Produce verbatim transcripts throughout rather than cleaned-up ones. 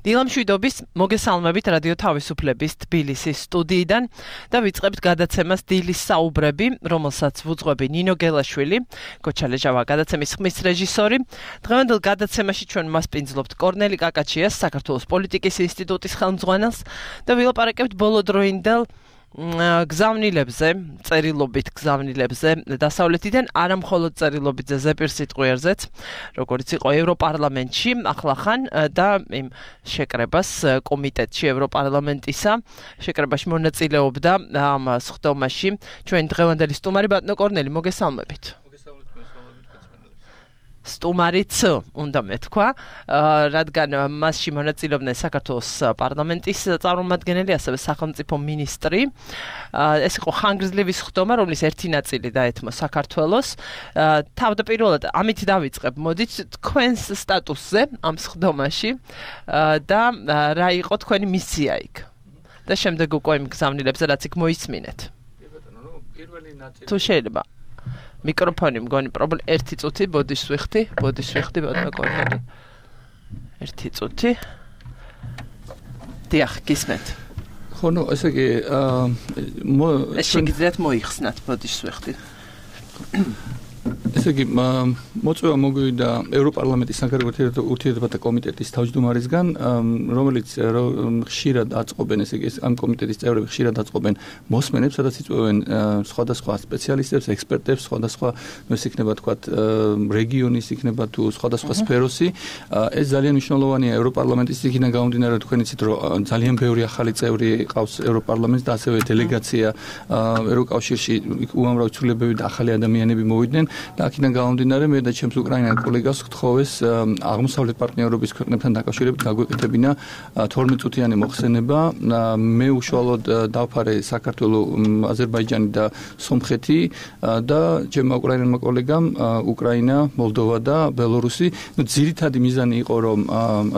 დილამ შვიდობის მოგესალმებით რადიო თავისუფლების თბილისის სტუდიიდან და ვიწყებთ გადაცემას დილის საუბრები, რომელსაც ვუძღვები ნინო გელაშვილი, გოჩალეჟავა გადაცემის ხმის რეჟისორი. დღევანდელ გადაცემაში ჩვენ მასპინძლობთ კორნელი კაკაჩიას, საქართველოს პოლიტიკის ინსტიტუტის ხელმძღვანელს და ვილაპარაკებთ ბოლოდროინდელ გზავნილებზე, წერილობით გზავნილებზე დასავლეთიდან, არა მხოლოდ წერილობით ზეპირ სიტყვიერზეც, როგორც იყო ევროპარლამენტში, ახლახან და იმ შეკრებას კომიტეტში ევროპარლამენტისა, შეკრებაში მონაწილეობდა ამ სხდომაში ჩვენ დღევანდელი სტუმარი ბატონო კორნელი, მოგესალმებით. სტუმარიც უნდა მეთქვა, რადგან მასში მონაწილეობდნენ საქართველოს პარლამენტის წარმომადგენელი, ასევე სახელმწიფო მინისტრი. ეს იყო ხანგრძლივი სხდომა, რომლის ერთი ნაწილი დაეთმო საქართველოს. თავდაპირველად ამით დავიწყებ, მოდით თქვენს სტატუსზე ამ სხდომაში და რა იყო თქვენი მისია იქ. და შემდეგ უკვე იმ გზავნილებზე, რაც იქ მოისმინეთ. თუ შეიძლება მიკროფონი მგონი პრობლემა ერთი წუთი ბოდიშ ვიხდი, ბოდიშ ვიხდი ბატონო კორნელი. ერთი წუთი. დიახ, გისმენთ. ხო, ნუ ესე იგი, აა შეგიძლიათ მოიხსნათ ბოდიშ ვიხდი. ესე იგი, მოწვევა მოგვივიდა ევროპარლამენტის საგარეო ურთიერთობათა კომიტეტის თავმჯდომარისგან, რომელიც ხშირად აწყობენ, ესე იგი, ამ კომიტეტის წევრები ხშირად აწყობენ მოსმენებს, სადაც იწვევენ სხვადასხვა სპეციალისტებს, ექსპერტებს, სხვადასხვა, ну, ეს იქნება თქვათ, რეგიონის, იქნება თუ სხვადასხვა სფეროსი. ეს ძალიან მნიშვნელოვანია ევროპარლამენტის იქიდან გამომდინარე, თქვენ იცით, რომ ძალიან ბევრი ახალი წევრი ყავს ევროპარლამენტს და ასევე დელეგაცია ევროკავშირში უამრავი ცვლილებები და ახალი ადამიანები მოვიდნენ. და აქედან გამომდინარე, მე და ჩემს უკრაინელ კოლეგას ვთხოვეს აღმოსავლეთ პარტნიორობის ქვეყნებთან დაკავშირებით გაგვეკეთებინა თორმეტ წუთიანი მოხსენება. მე უშუალოდ დავფარე საქართველოს, აზერბაიჯანი და სომხეთი და ჩემმა უკრაინელმა კოლეგამ უკრაინა, მოლდოვა და ბელორუსი. ნუ ძირითადი მიზანი იყო, რომ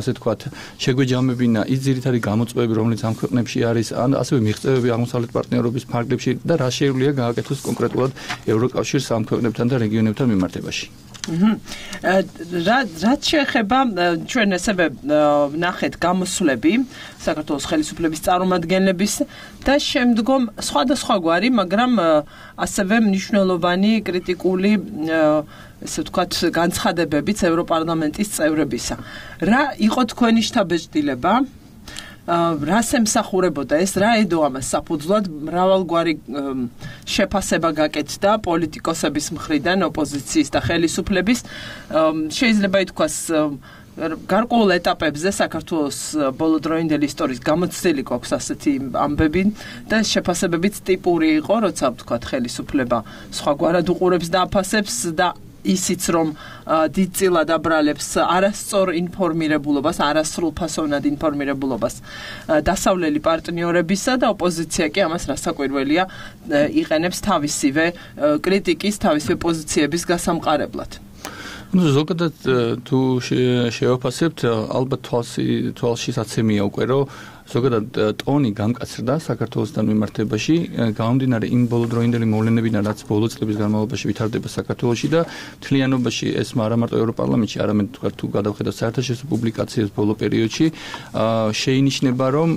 ასე თქვათ, შეგვეჯამებინა ის ძირითადი გამოწვევები, რომელიც ამ ქვეყნებში არის, ან ასევე მიღწევები აღმოსავლეთ პარტნიორობის ფარგლებში და რა შეუძლია გააკეთოს კონკრეტულად ევროკავშირს ამ ქვეყნებთან და რეგიონებთან მიმართებაში. რაც შეეხება ჩვენ ასევე ნახეთ გამოსვლები საქართველოს ხელისუფლების წარმომადგენლების და შემდგომ სხვადასხვაგვარი, მაგრამ ასევე მნიშვნელოვანი კრიტიკული ესე ვთქვათ განცხადებებიც ევროპარლამენტის წევრებისა. რა იყო თქვენი შთაბეჭდილება? რას ემსახურებოდა ეს, რა ედო ამას საფუძვლად? მრავალგვარი შეფასება გაკეთდა პოლიტიკოსების მხრიდან, ოპოზიციის და ხელისუფლების. შეიძლება ითქვას, გარკვეულ ეტაპებზე საქართველოს ბოლოდროინდელი ისტორიის გამოცდილი გვაქვს ასეთი ამბები და შეფასებებიც ტიპური იყო, როცა ვთქვათ ხელისუფლება სხვაგვარად უყურებს და აფასებს და ისიც რომ დიდწილად აბრალებს არასწორ ინფორმირებულობას, არასრულფასოვნად ინფორმირებულობას დასავლელი პარტნიორებისა და ოპოზიცია კი ამას რასაკვირველია იყენებს თავისივე კრიტიკის, თავისივე პოზიციების გასამყარებლად. ну ზოგადად თუ შევაფასებთ, ალბათ თვალში თვალში საცემია უკვე, რომ ზოგადად ტონი გამკაცრდა საქართველოსთან მიმართებაში, გამომდინარე იმ ბოლოდროინდელი მოვლენებიდან, რაც ბოლო წლების განმავლობაში ვითარდება საქართველოში და მთლიანობაში ეს არა მარტო ევროპარლამენტში, არამედ თქვა თუ გადავხედოთ საერთაშორისო პუბლიკაციებს ბოლო პერიოდში, შეინიშნება, რომ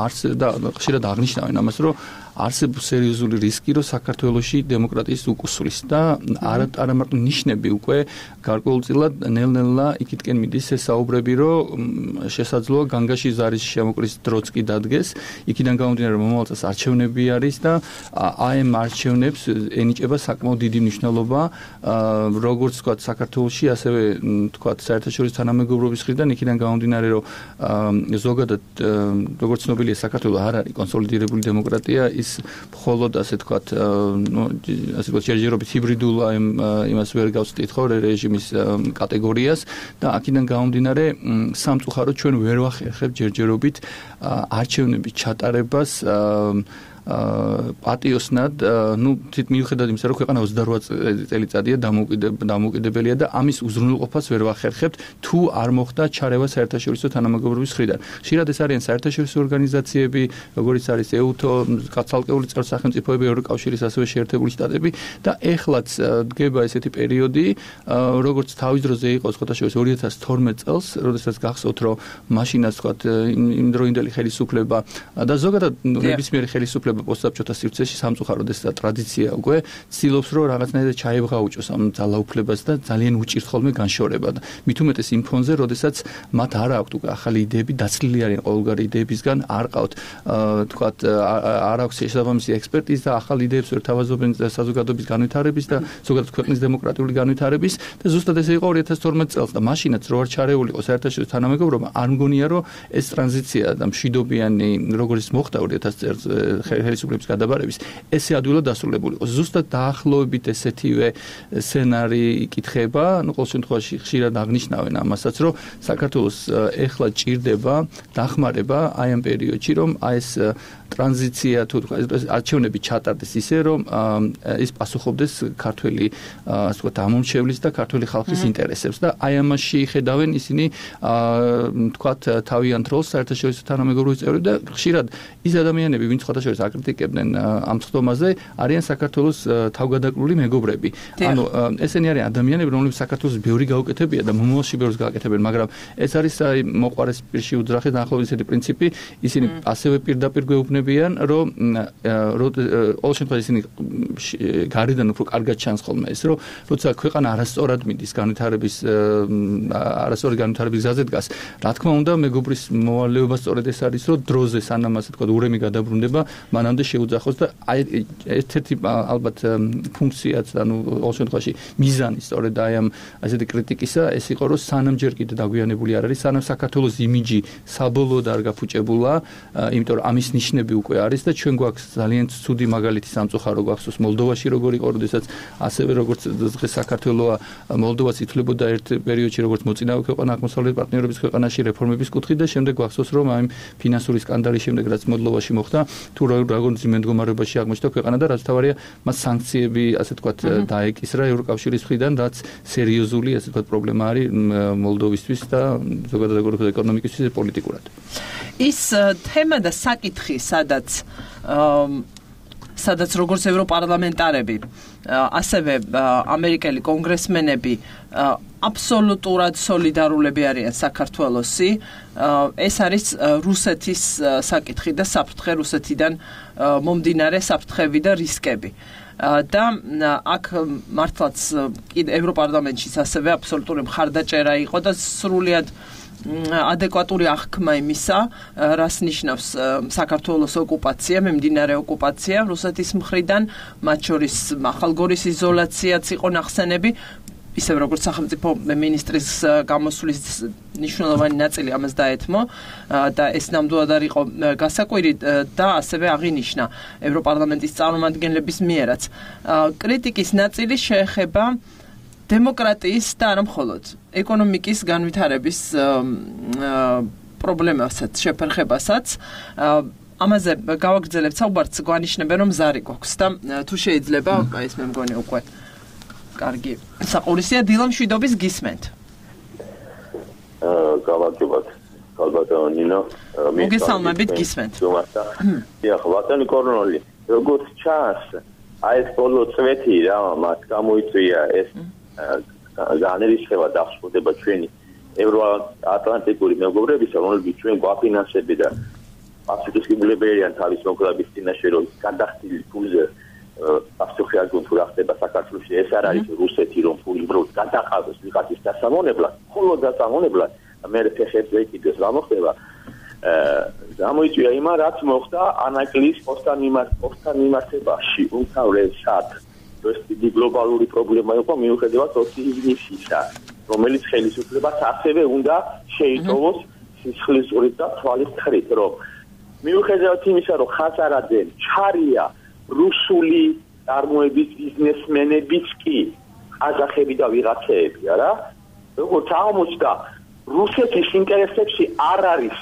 არც და ხშირად აღნიშნავენ ამას, რომ არსებობს სერიოზული რისკი, რომ საქართველოში დემოკრატიის უკუსვლის და არა არა მარტო ნიშნები უკვე გარკვეულწილად ნელ-ნელა იქითკენ მიდის ეს საუბრები, რომ შესაძლოა განგაში ზარის შემოკრის დროც კი დადგეს. იქიდან გამომდინარე, რომ მომავალ წელს არჩევნები არის და აი ამ არჩევნებს ენიჭება საკმაოდ დიდი მნიშვნელობა, როგორც ვთქვათ, საქართველოში, ასევე ვთქვათ, საერთაშორისო თანამეგობრობის მხრიდან. იქიდან გამომდინარე, რომ ზოგადად როგორც ცნობილია, საქართველო არ არის კონსოლიდირებული დემოკრატია, მხოლოდ ასე თქვათ, ну, ასე ვთქვათ, ჯერჯერობით ჰიბრიდულ იმას ვერ გავწვდით ხო რეჟიმის კატეგორიას და აქედან გამომდინარე, სამწუხაროდ ჩვენ ვერ ვახერხებთ ჯერჯერობით არჩევნების ჩატარებას პატიოსნად, ну, თით მიუხედავად იმისა, რომ ქვეყანა ოცდარვა წელიწადია დამოუკიდებელია და ამის უზრუნველყოფას ვერ ვახერხებთ, თუ არ მოხდა ჩარევა საერთაშორისო თანამეგობრობის მხრიდან. ხშირად ეს არიან საერთაშორისო ორგანიზაციები, როგორიც არის ეუთო, კაცალკეული სახელმწიფოები, ევროკავშირის, ასევე შეერთებული შტატები და ეხლაც დგება ესეთი პერიოდი, როგორც თავის დროზე იყო ხოთაშორის ორი ათას თორმეტ წელს, როდესაც გახსოვთ, რომ მაშინაც თქვათ იმდროინდელი ხელისუფლება და ზოგადად ნებისმიერი ხელისუფლება პოსტსაბჭოთა სივრცეში სამწუხაროდ ეს ტრადიცია უკვე ცდილობს, რომ რაღაცნაირად ჩაებღაუჭოს ამ ძალაუფლებას და ძალიან უჭირთ ხოლმე განშორება და მით უმეტეს იმ ფონზე, როდესაც მათ არ აქვთ უკვე ახალი იდეები, დაცლილი არიან ყოველგვარი იდეებისგან, არ ყავთ თქვათ არ აქვს შესაბამისი ექსპერტიზა და ახალ იდეებს ვერ თავაზობენ საზოგადოების განვითარების და ზოგადად ქვეყნის დემოკრატიული განვითარების და ზუსტად ესე იყო ორი ათას თორმეტ წელს და მაშინაც რო არ ჩარეულიყო საერთაშორისო თანამეგობრობა, არ მგონია, რომ ეს ტრანზიცია და მშვიდობიანი როგორც მოხდა ორი ათას წელს ხელისუფლების გადაბარების, ესე ადვილად დასრულებული იყო. ზუსტად დაახლოებით ესეთივე სცენარი იკითხება, ну, ყოველ შემთხვევაში ხშირად აღნიშნავენ ამასაც, რომ საქართველოს ეხლა ჭირდება დახმარება აი ამ პერიოდში, რომ აი ეს ტრანზიცია თუ არჩევნები ჩატარდეს ისე, რომ ის პასუხობდეს ქართველი ასე ვთქვათ ამომრჩევლის და ქართველი ხალხის ინტერესებს და აი ამაში ხედავენ ისინი ვთქვათ თავიანთ როლს საერთაშორისო თანამეგობრობის წევრები და ხშირად ის ადამიანები, ვინც ხოთაშორის აკრიტიკებდნენ ამ ხდომაზე, არიან საქართველოს თავგადაკრული მეგობრები. ანუ ესენი არიან ადამიანები, რომლებიც საქართველოს ბევრი გაუკეთებია და მომავალში ბევრს გააკეთებენ, მაგრამ ეს არის აი მოყვარეს პირში უძრახის დაახლოებით ესეთი პრინციპი, ისინი ასევე პირდაპირ გვეუბნებიან, რომ ყოველ შემთხვევაში ისინი გარედან უფრო კარგად ჩანს ხოლმე ეს, რომ როცა ქვეყანა არასწორად მიდის განვითარების არასწორი განვითარების გზაზე დგას, რა თქმა უნდა, მეგობრის მოვალეობა სწორედ ეს არის, რომ დროზე სანამ ასე თქვა ურემი გადაბრუნდება, მანამდე შეუძახოს და აი ერთ-ერთი ალბათ ფუნქციაც, ანუ ყოველ შემთხვევაში მიზანი სწორედ აი ამ ასეთი კრიტიკისა ეს იყო, რომ სანამ ჯერ კიდე დაგვიანებული არ არის, სანამ საქართველოს იმიჯი საბოლოოდ არ გაფუჭებულა, იმიტომ რომ ამის ნიშნები უკვე არის და ჩვენ გვაქვს ძალიან ცუდი მაგალითი სამწუხარო გვახსოვს მოლდოვაში როგორ იყო, როდესაც ასევე როგორც დღეს საქართველოა, მოლდოვაც ითვლებოდა ერთ პერიოდში როგორც მოწინავე ქვეყანა აღმოსავლეთ პარტნიორობის ქვეყანაში რეფორმების კუთხით და შემდეგ გვახსოვს რომ აი ფინანსური სკანდალის შემდეგ რაც მოლდოვაში მოხდა, თუ როგორ მდგომარეობაში აღმოჩნდა ქვეყანა და რაც თავარია მას სანქციები ასე ვთქვათ დაეკისრა ევროკავშირის მხრიდან, რაც სერიოზული ასე ვთქვათ პრობლემა არის მოლდოვისთვის და ზოგადად როგორც ეკონომიკისთვის პოლიტიკურად. ის თემა და საკითხი, სადაც სადაც როგორც ევროპარლამენტარები, ასევე ამერიკელი კონგრესმენები აბსოლუტურად სოლიდარულები არიან საქართველოსი, ეს არის რუსეთის საკითხი და საფრთხე რუსეთიდან მომდინარე საფრთხები და რისკები. და აქ მართლაც ევროპარლამენტშიც ასევე აბსოლუტური მხარდაჭერა იყო და სრულიად ადეკვატური აღქმა იმისა, რას ნიშნავს საქართველოს ოკუპაცია, მიმდინარე ოკუპაცია რუსეთის მხრიდან, მათ შორის ახალგორის იზოლაციაც იყო ნახსენები, ისევ როგორც სახელმწიფო მინისტრის გამოსვლის მნიშვნელოვანი ნაწილი ამას დაეთმო და ეს ნამდვილად არ იყო გასაკვირი და ასევე აღინიშნა ევროპარლამენტის წარმომადგენლების მიერაც. კრიტიკის ნაწილი შეეხება დემოკრატიის და არა მხოლოდ ეკონომიკის განვითარების პრობლემასაც, შეფერხებასაც. ამაზე გავაგრძელებთ საუბარს, გვანიშნებენ რომ ზარი გვაქვს და თუ შეიძლება ეს მე მგონი უკვე კარგი საყურისია. დილა მშვიდობის გისმენთ. აა გავაგებად ალბათო ნინო მოგესალმებით გისმენთ. დიახ, ბატონი კორნოლი, როგორც ჩანს, აი ეს ბოლო წვეთი რა მას გამოიწვია ეს განერისხება დახსოვდება ჩვენი ევროატლანტიკური მეგობრებისა, რომლებიც ჩვენ გვაფინანსები და აბსოლუტურებიან თავის მოგლების წინაშე რომ გადახდილი ფულზე აბსოლუტურად არ გონთ რა ხდება საქართველოში, ეს არ არის რუსეთი რომ ფული ბროდ გადაყავდეს ვიღაცის დასამონებლად, მხოლოდ დასამონებლად, მე ფეხებზე კიდეს რა მოხდება. გამოიწვია იმა რაც მოხდა ანაკლის პოსტან მიმართებაში უმთავრესად ეს დიდი გლობალური პრობლემა იყო მიუხედავად ოპტიმიზმისა, რომელიც ხელისუფლებას ასევე უნდა შეიტოვოს სისხლის ზურით და თვალის ხრით, რომ მიუხედავად იმისა, რომ ხაზარაძემ ჩარია რუსული წარმოების ბიზნესმენებიც კი ყაზახები და ვიღაცეები, არა? როგორც აღმოჩნდა, რუსეთის ინტერესებში არ არის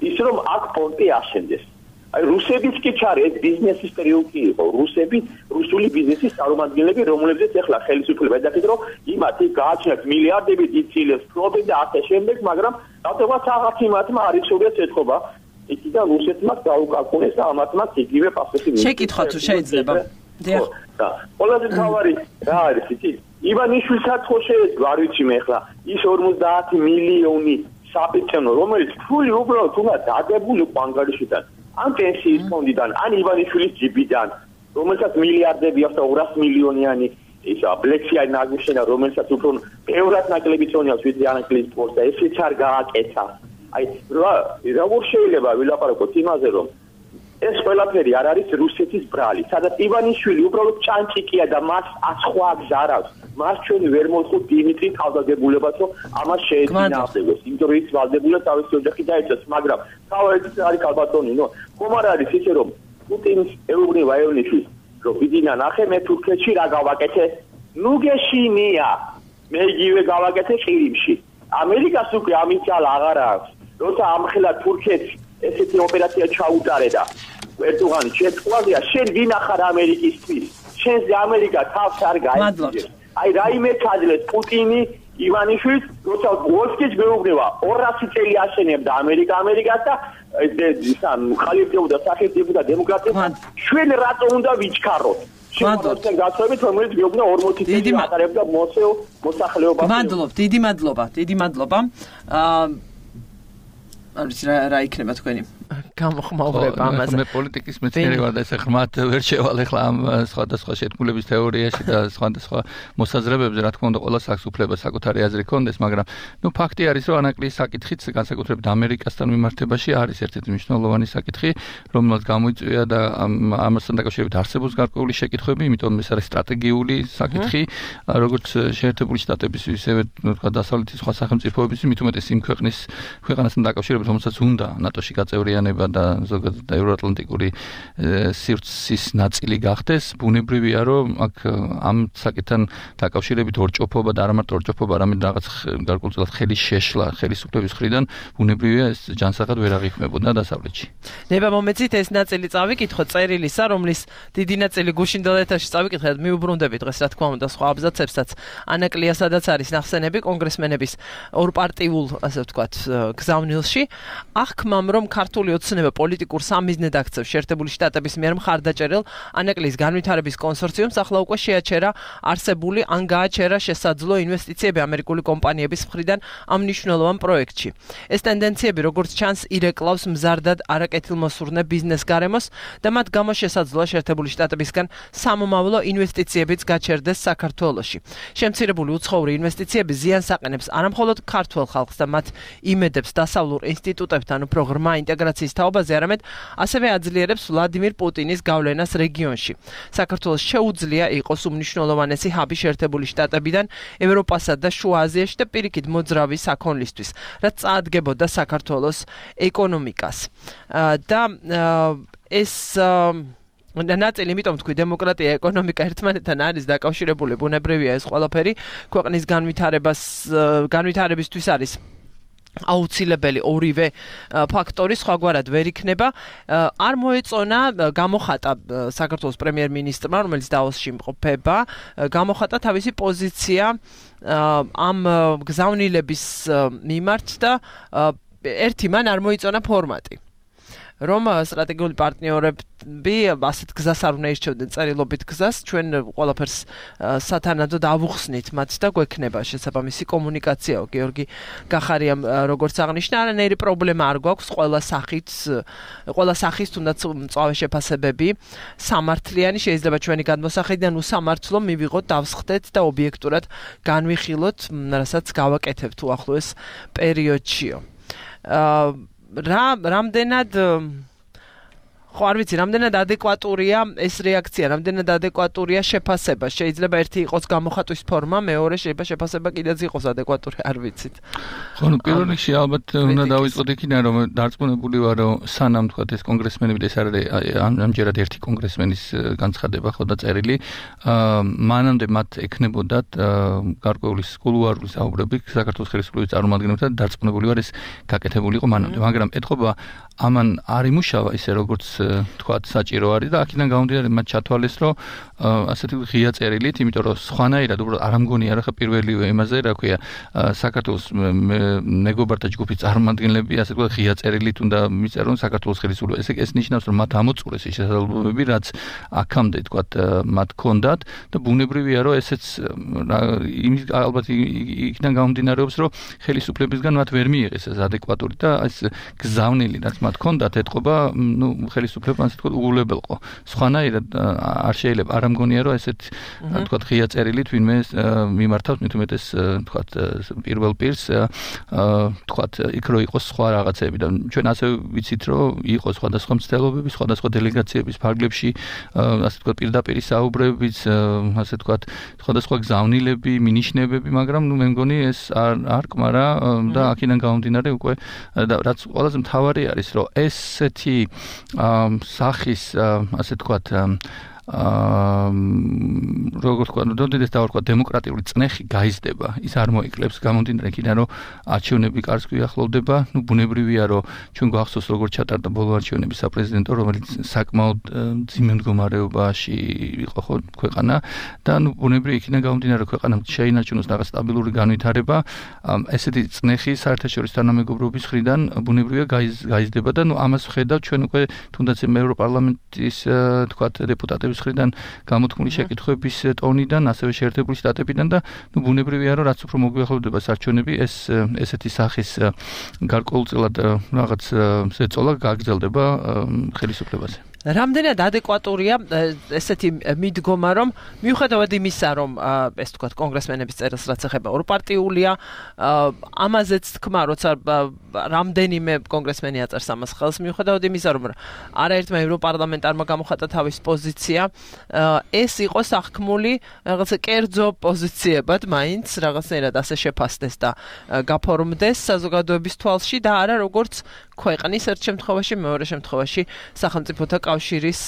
ის, რომ აქ პონტი აშენდეს. აი რუსებიც კი ჩარე ეს ბიზნესის ტრიუმფი იყო. რუსები, რუსული ბიზნესის წარმომადგენლები, რომლებზეც ახლა ხელისუფლება ედახით, რომ იმათი გააჩნიათ მილიარდები დიცილებს პრობლემ და ასე შემდეგ, მაგრამ რატომაც აღარ იმათმა არ იცოდეს ეთქობა. იქიდან რუსეთმა გაუკაკუნეს და ამათმა იგივე პასუხი მიიღეს. შეკითხვა თუ შეიძლება. დიახ. და ყველაზე თავარი რა არის იცი? ივანიშვილსაც ხო შეეძლო, არ ვიცი მე ახლა, ის ორმოცდაათი მილიონი საპეცენო, რომელიც ფული უბრალოდ თუნდაც დადებული ყანგარიშიდან, ან პენსიის ფონდიდან, ან ივანიშვილის ჯიბიდან, რომელსაც მილიარდები აქვს და ორას მილიონიანი ისა ბლექსია ნაგუშენა, რომელსაც უფრო ბევრად ნაკლები წონიავს ვიდრე ანკლის სპორტს და ესეც არ გააკეთა. აი რა როგორ შეიძლება ვილაპარაკოთ იმაზე რომ ეს ყველაფერი არ არის რუსეთის ბრალი, სადაც ივანიშვილი უბრალოდ ჭანჭიკია და მას სხვა გზარავს. მას ჩვენი ვერ მოხუთ დიმიტრი თავდადებულებას, რომ ამას შეეწინააღმდეგოს. იმიტომ რომ ის ვალდებულა თავისი ოჯახი დაეწეს, მაგრამ თავად არის კალბატონი, ნო ხომ არ არის ისე რომ პუტინის ეუბნება ივანიშვილს, რომ ვიდინა ნახე მე თურქეთში რა გავაკეთე? ნუ გეშინია. მე იგივე გავაკეთე ყირიმში. ამერიკას უკვე ამის ძალა აღარ აქვს. როცა ამხელა თურქეთს ესეთი ოპერაცია ჩაუტარე და ერთუღანი შეწყვალია, შენ ვინახარ ამერიკისთვის? შენს ამერიკა თავს არ გაიწევს. აი რაიმე ჩაძლეს პუტინი ივანიშვილს, როცა ვოლსკის მეუბნება ორასი წელი აშენებდა ამერიკა ამერიკას და ისან ხალიფდებოდა სახელმწიფო და დემოკრატია. ჩვენ რატომ უნდა ვიჩქაროთ? ჩვენ გასწრებით რომელიც მეუბნება ორმოცი წელი ატარებდა მოსეო მოსახლეობას. მადლობ, დიდი მადლობა, დიდი მადლობა. აა არ ვიცი რა რა იქნება თქვენი გამოხმაურება ამაზე. მე პოლიტიკის მეცნიერი ვარ და ეს ხმათ ვერ შევალ ახლა ამ სხვადასხვა შეთქმულების თეორიაში და სხვადასხვა მოსაზრებებზე, რა თქმა უნდა, ყველას აქვს უფლება საკუთარი აზრი ქონდეს, მაგრამ ნუ ფაქტი არის, რომ ანაკლის საკითხიც განსაკუთრებით ამერიკასთან მიმართებაში არის ერთ-ერთი მნიშვნელოვანი საკითხი, რომელსაც გამოიწვია და ამასთან დაკავშირებით არსებობს გარკვეული შეკითხვები, იმიტომ ეს არის სტრატეგიული საკითხი, როგორც შეერთებული შტატების, ისევე თქვა დასავლეთის სხვა სახელმწიფოების, მით უმეტეს იმ ქვეყნის ქვეყანასთან დაკავშირებით, რომელსაც უნდა ნატოში გაწევრიანება და ზოგადად ევროატლანტიკური სივრცის ნაწილი გახდეს, ბუნებრივია, რომ აქ ამ საკითხთან დაკავშირებით ორჭოფობა და არა მარტო ორჭოფობა, არამედ რაღაც გარკვეულწილად ხელის შეშლა ხელისუფლების მხრიდან, ბუნებრივია ეს ჯანსაღად ვერ აღიქმებოდა დასავლეთში. ნება მომეცით ეს ნაწილი წავიკითხოთ წერილისა, რომლის დიდი ნაწილი გუშინდელ ეთერში წავიკითხეთ, მიუბრუნდებით დღეს რა თქმა უნდა სხვა აბზაცებსაც. ანაკლია სადაც არის ნახსენები კონგრესმენების ორპარტიულ, ასე ვთქვათ, გზავნილში. აღქმამ რომ ქართული ოცნება პოლიტიკურ სამიზნედ აქცევს შეერთებული შტატების მიერ მხარდაჭერილ ანაკლის განვითარების კონსორციუმს ახლა უკვე შეაჩერა არსებული ან გააჩერა შესაძლო ინვესტიციები ამერიკული კომპანიების მხრიდან ამ მნიშვნელოვან პროექტში. ეს ტენდენციები როგორც ჩანს ირეკლავს მზარდად არაკეთილმოსურნე ბიზნეს გარემოს და მათ გამო შესაძლოა შეერთებული შტატებისგან სამომავლო ინვესტიციებიც გაჩერდეს საქართველოში. შემცირებული უცხოური ინვესტიციები ზიანს აყენებს არამხოლოდ ქართულ ხალხს და მათ იმედებს დასავლურ ინსტიტუტებთან უფრო ღრმა ინტეგრაციის თაობაზე, არამედ ასევე აძლიერებს ვლადიმირ პუტინის გავლენას რეგიონში. საქართველოს შეუძლია იყოს უმნიშვნელოვანესი ჰაბი შეერთებული შტატებიდან ევროპასა და შუა აზიაში და პირიქით მოძრავი საქონლისთვის, რაც წაადგებოდა საქართველოს ეკონომიკას. და ეს ნაწილი, იმიტომ თქვი, დემოკრატია, ეკონომიკა ერთმანეთთან არის დაკავშირებული, ბუნებრივია ეს ყველაფერი, ქვეყნის განვითარებას განვითარებისთვის არის აუცილებელი ორივე ფაქტორი, სხვაგვარად ვერ იქნება. არ მოეწონა გამოხატა საქართველოს პრემიერ-მინისტრმა, რომელიც დაოსში იმყოფება, გამოხატა თავისი პოზიცია ამ გზავნილების მიმართ და ერთი მან არ მოიწონა ფორმატი. რომ სტრატეგიული პარტნიორები ასეთ გზას არ უნდა ირჩევდნენ, წერილობით გზას, ჩვენ ყველაფერს სათანადოდ ავუხსნით მათ და გვექნება შესაბამისი კომუნიკაციაო. გიორგი გახარიამ როგორც აღნიშნა, არანაირი პრობლემა არ გვაქვს ყველა სახით, ყველა სახის თუნდაც მწვავე შეფასებები სამართლიანი შეიძლება ჩვენი გადმოსახედიდან უსამართლო მივიღოთ, დავსხდეთ და ობიექტურად განვიხილოთ, რასაც გავაკეთებთ უახლოეს პერიოდშიო. რა რამდენად ხო არ ვიცი, რამდენად ადეკვატურია ეს რეაქცია, რამდენად ადეკვატურია შეფასება. შეიძლება ერთი იყოს გამოხატვის ფორმა, მეორე შეიძლება შეფასება კიდეც იყოს ადეკვატური, არ ვიცით. ხო, ნუ პირველ რიგში ალბათ უნდა დავიწყოთ იქიდან, რომ დარწმუნებული ვარ, რომ სანამ თქვა ეს კონგრესმენები და ეს არის ამჯერად ერთი კონგრესმენის განცხადება ხო და წერილი, მანამდე მათ ექნებოდათ გარკვეული კულუარული საუბრები საქართველოს ხელისუფლების წარმომადგენლებთან, დარწმუნებული ვარ ეს გაკეთებული იყო მანამდე, მაგრამ ეთყობა ამან არ იმუშავა ისე როგორც თქვა საჭირო არის და აქედან გამომდინარე მათ ჩათვალეს რომ ასეთი ღია წერილით, იმიტომ რომ სხვანაირად უბრალოდ არ ამგონია რა ხა პირველივე იმაზე რა ქვია საქართველოს მეგობართა ჯგუფის წარმომადგენლები ასე თქვა ღია წერილით უნდა მიწერონ საქართველოს ხელისუფლება. ესე ეს ნიშნავს რომ მათ ამოწურეს ის შესაძლებლობები რაც აქამდე თქვა მათ ჰქონდათ და ბუნებრივია რომ ესეც იმის ალბათ იქიდან გამომდინარეობს რომ ხელისუფლებისგან მათ ვერ მიიღეს ეს ადეკვატური და ეს გზავნილი რაც მათ ჰქონდათ ეთყობა ნუ ხელისუფლებამ ასე თქვა უგულებელყო. სხვანაირად არ შეიძლება არ ამგონია რომ ესეთ თქვა ღია წერილით ვინმე მიმართავს მით უმეტეს თქვა პირველ პირს თქვა იქ რო იყოს სხვა რაღაცები და ჩვენ ასე ვიცით რომ იყო სხვადასხვა მცდელობები სხვადასხვა დელეგაციების ფარგლებში ასე თქვა პირდაპირ საუბრებიც ასე თქვა სხვადასხვა გზავნილები მინიშნებები მაგრამ ნუ მე მგონი ეს არ არ კმარა და აქედან გამომდინარე უკვე და რაც ყველაზე მთავარი არის რომ ესეთი სახის ასე თქვა აა როგორც თქვა, დოდედეს დავარქვა დემოკრატიული წნეხი გაიზრდება, ის არ მოიკლებს გამომდინარე იქიდან რომ არჩევნები კარგს გვიახლოვდება, ნუ ბუნებრივია რომ ჩვენ გვახსოვს როგორც ჩატარდა ბოლო არჩევნები საპრეზიდენტო, რომელიც საკმაოდ ძიმე მდგომარეობაში იყო ხო ქვეყანა და ნუ ბუნებრივია იქიდან გამომდინარე ქვეყანამ შეინარჩუნოს რაღაც სტაბილური განვითარება, ესეთი წნეხი საერთაშორისო თანამეგობრობის მხრიდან ბუნებრივია გაიზრდება და ნუ ამას ვხედავ ჩვენ უკვე თუნდაც ევროპარლამენტის თქვა დეპუტატები მხრიდან გამოთქმული შეკითხვების ტონიდან, ასევე შეერთებული შტატებიდან და ნუ ბუნებრივია რომ რაც უფრო მოგვიახლოვდება არჩევნები, ეს ესეთი სახის გარკვეულწილად რაღაც ზეწოლა გაგრძელდება ხელისუფლებაზე. რამდენად ადეკვატურია ესეთი მიდგომა, რომ მიუხედავად იმისა, რომ ეს თქვა კონგრესმენების წერილს რაც ეხება ორპარტიულია, ამაზეც თქმა, როცა რამდენიმე კონგრესმენი აწერს ამას ხელს, მიუხედავად იმისა, რომ არაერთმა ევროპარლამენტარმა გამოხატა თავის პოზიცია, ეს იყო სახქმული რაღაცა კერძო პოზიციებად, მაინც რაღაცნაირად ასე შეფასდეს და გაფორმდეს საზოგადოების თვალში და არა როგორც ქვეყნის ერთ შემთხვევაში, მეორე შემთხვევაში სახელმწიფოთა კავშირის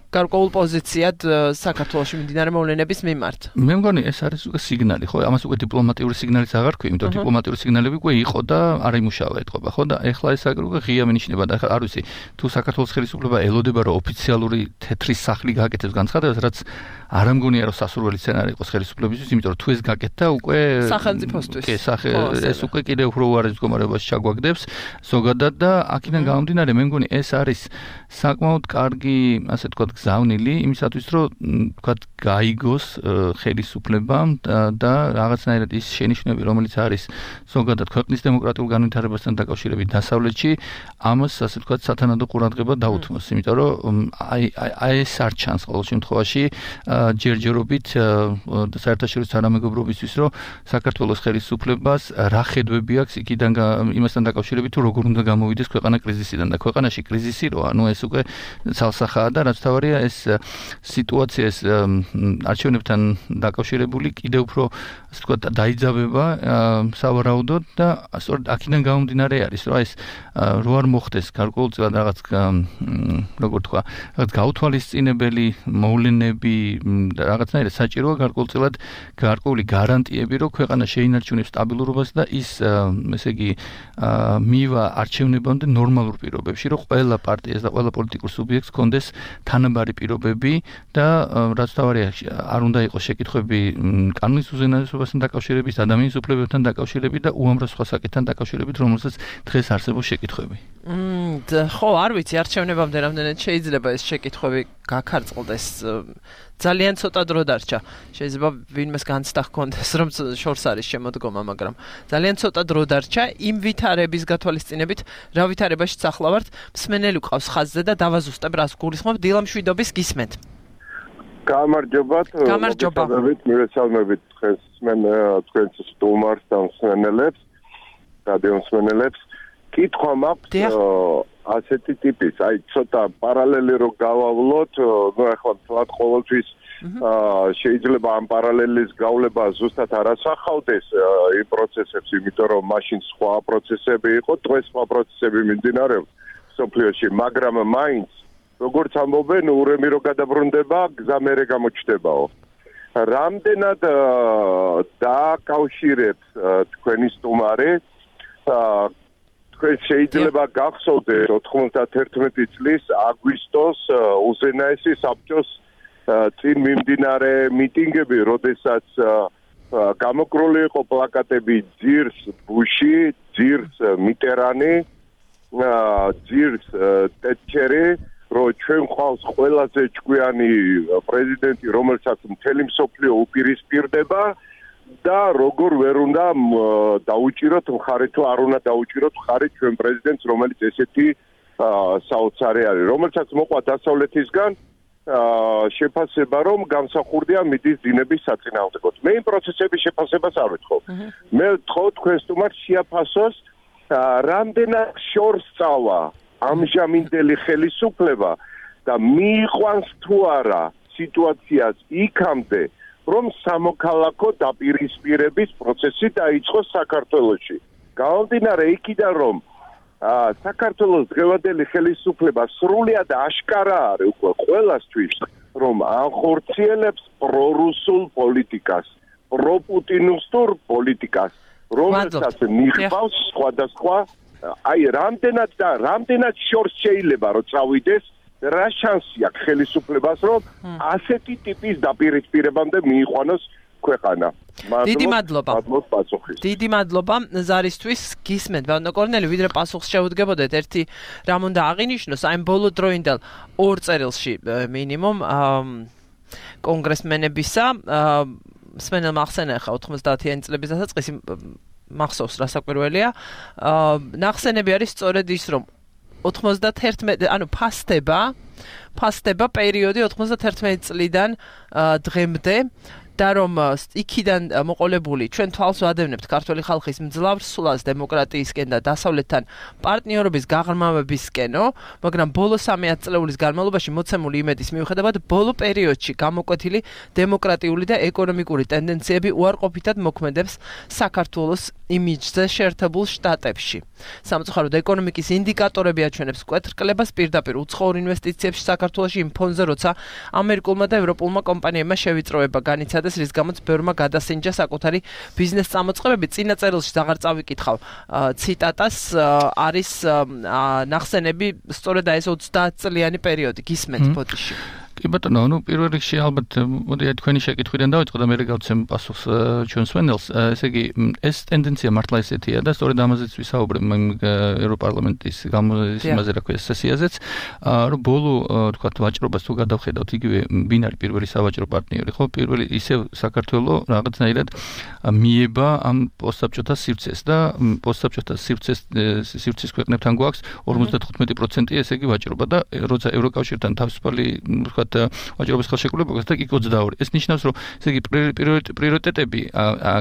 გარკვეულ პოზიციად საქართველოში მიმდინარე მოვლენების მიმართ. მე მგონი ეს არის უკვე სიგნალი, ხო? ამას უკვე დიპლომატიური სიგნალიც აღარ ქვია, იმიტომ რომ დიპლომატიური სიგნალები უკვე იყო და არ იმუშავა ეთყობა, ხო? და ეხლა ეს უკვე ღია მინიშნება და ეხლა არ ვიცი, თუ საქართველოს ხელისუფლება ელოდება რომ ოფიციალური თეთრი სახლი გააკეთებს განცხადებას, რაც არ ამგონია რომ სასურველი სცენარი იყოს ხელისუფლებისთვის, იმიტომ რომ თუ ეს გაკეთდა უკვე სახელმწიფოსთვის. კი, ეს უკვე კიდევ უფრო უარეს მდგომარეობაში ჩაგვაგდებს ზოგადად და აქედან გამომდინარე მე მგონი ეს არის საკმაოდ კარგი, ასე თქვა გზავნილი იმისათვის რომ თქვა გაიგოს ხელისუფლებამ და რაღაცნაირად ის შენიშვნები რომელიც არის ზოგადად ქვეყნის დემოკრატიულ განვითარებასთან დაკავშირებით დასავლეთში ამას ასე თქვა სათანადო ყურადღება დაუთმოს იმიტომ რომ აი აი ეს არ ჩანს ყოველ შემთხვევაში ჯერჯერობით საერთაშორისო თანამეგობრობისთვის რომ საქართველოს ხელისუფლებას რა ხედვები აქვს იქიდან იმასთან დაკავშირებით თუ როგორ უნდა გამოვიდეს ქვეყანა კრიზისიდან და ქვეყანაში კრიზისი როა ანუ ეს უკვე ცალსახაა და რაც თავარია ეს სიტუაცია ეს არჩევნებთან დაკავშირებული კიდევ უფრო ასე ვთქვათ დაიძაბება სავარაუდოდ და სწორედ აქედან გამომდინარე არის რომ ეს რო არ მოხდეს გარკვეულწილად რაღაც როგორ თქვა რაღაც გაუთვალისწინებელი მოვლენები რაღაცნაირად საჭიროა გარკვეულწილად გარკვეული გარანტიები რომ ქვეყანა შეინარჩუნებს სტაბილურობას და ის ესე იგი მივა არჩევნებამდე ნორმალურ პირობებში რომ ყველა პარტიას და ყველა პოლიტიკურ სუბიექტს კონდეს თანაბარი პირობები და რაც თავარია არ უნდა იყოს შეკითხვები კანონის უზენაესობასთან დაკავშირებით, ადამიანის უფლებებთან დაკავშირებით და უამრავ სხვა საკითხთან დაკავშირებით, რომელსაც დღეს არსებობს შეკითხვები. ხო, არ ვიცი, არჩევნებამდე რამდენად შეიძლება ეს შეკითხვები გაქარწყლდეს. ძალიან ცოტა დრო დარჩა. შეიძლება ვინმეს განცდა ჰქონდეს, რომ შორს არის შემოდგომა, მაგრამ ძალიან ცოტა დრო დარჩა იმ ვითარების გათვალისწინებით, რა ვითარებაშიც ახლა ვართ. მსმენელი ყავს ხაზზე და დავაზუსტებ, რას გულისხმობ, დილა მშვიდობის გისმენთ. გამარჯობათ. გამარჯობა. მივესალმებით დღეს თქვენს სტუმარს და მსმენელებს, რადიო მსმენელებს. კითხვა მაქვს ასეთი ტიპის, აი ცოტა პარალელი რო გავავლოთ, ნუ ახლა თქვათ ყოველთვის შეიძლება ამ პარალელის გავლება ზუსტად არ ასახავდეს იმ პროცესებს, იმიტომ რომ მაშინ სხვა პროცესები იყო, დღეს სხვა პროცესები მიმდინარეობს სოფლიოში, მაგრამ მაინც როგორც ამბობენ, ურემი რო გადაბრუნდება, გზა მერე გამოჩნდებაო. რამდენად დააკავშირებს თქვენი სტუმარი თქვენ შეიძლება გახსოვდეთ ოთხმოცდათერთმეტი წლის აგვისტოს უზენაესი საბჭოს წინ მიმდინარე მიტინგები, როდესაც გამოკრული იყო პლაკატები ძირს ბუში, ძირს მიტერანი, ძირს ტეტჩერი, რომ ჩვენ ყავს ყველაზე ჭკვიანი პრეზიდენტი, რომელსაც მთელი მსოფლიო უპირისპირდება და როგორ ვერ უნდა დაუჭიროთ მხარი თუ არ უნდა დაუჭიროთ მხარი ჩვენ პრეზიდენტს, რომელიც ესეთი საოცარი არის, რომელსაც მოყვა დასავლეთისგან შეფასება, რომ გამსახურდია მიდის დინების საწინააღმდეგოდ. მე იმ პროცესების შეფასებას არ ვეთხოვ. მე ვთხოვ თქვენ სტუმარს შეაფასოს რამდენად შორს წავა ამჟამინდელი ხელისუფლება და მიიყვანს თუ არა სიტუაციას იქამდე, რომ სამოქალაქო დაპირისპირების პროცესი დაიწყოს საქართველოში. გამომდინარე იქიდან, რომ საქართველოს დღევანდელი ხელისუფლება სრულად აშკარა არის უკვე ყველასთვის, რომ ახორციელებს პრორუსულ პოლიტიკას, პროპუტინისტურ პოლიტიკას, რომელსაც მიჰყავს სხვადასხვა, აი რამდენად და რამდენად შორს შეიძლება რომ წავიდეს, რა შანსი აქვს ხელისუფლებას, რომ ასეთი ტიპის დაპირისპირებამდე მიიყვანოს ქვეყანა. დიდი მადლობა. დიდი მადლობა ზარისთვის. გისმენთ ბატონო კორნელი, ვიდრე პასუხს შეუდგებოდეთ, ერთი რამ უნდა აღინიშნოს, აი ბოლო დროინდელ ორ წერილში მინიმუმ კონგრესმენებისა სმენელმა ახსენა ხა ოთხმოცდაათიანი წლების დასაწყისი მახსოვს რა საკვირველია. ნახსენები არის სწორედ ის, რომ ოთხმოცდათერთმეტი ანუ ფასდება ფასდება პერიოდი ოთხმოცდათერთმეტი წლიდან დღემდე და რომ იქიდან მოყოლებული ჩვენ თვალს ვადევნებთ ქართული ხალხის მძლავრ სულას დემოკრატიისკენ და დასავლეთთან პარტნიორობის გაღრმავებისკენო, მაგრამ ბოლო სამი ათწლეულის განმავლობაში მოცემული იმედის მიუხედავად ბოლო პერიოდში გამოკვეთილი დემოკრატიული და ეკონომიკური ტენდენციები უარყოფითად მოქმედებს საქართველოს იმიჯზე შეერთებულ შტატებში. სამწუხაროდ ეკონომიკის ინდიკატორები აჩვენებს მკვეთრკლებას პირდაპირ უცხოურ ინვესტიციებში საქართველოში იმ ფონზე, როცა ამერიკულმა და ევროპულმა კომპანიებმა შევიწროება განიცადა, რის გამოც ბევრმა გადასინჯა საკუთარი ბიზნეს წამოწყებები. წინა წერილში აღარ წავიკითხავ ციტატას, არის ნახსენები სწორედ აი ეს ოცდაათწლიანი პერიოდი. გისმენთ ბოდიში. კი ბატონო, ну პირველ რიგში ალბათ მოდი თქვენი შეკითხვიდან დავიწყო და მე გავცემ პასუხს ჩვენ სვენელს. ესე იგი, ეს ტენდენცია მართლა ესეთია და სწორედ ამაზეც ვისაუბრებ ევროპარლამენტის გამოსიმაზე რა ქვია სესიაზეც, რომ ბოლო თქვა ვაჭრობას თუ გადავხედავთ, იგივე ვინ არის პირველი სავაჭრო პარტნიორი, ხო? პირველი ისევ საქართველოს რაღაცნაირად მიება ამ პოსტსაბჭოთა სივრცეს და პოსტსაბჭოთა სივრცეს სივრცის ქვეყნებთან გვაქვს ორმოცდათხუთმეტი პროცენტი, ესე იგი ვაჭრობა და როცა ევროკავშირთან თავისუფალი თქვა ვაჭრობის ხელშეკრულებას და იქ ოცდაორი. ეს ნიშნავს, რომ ესე იგი პრიორიტეტები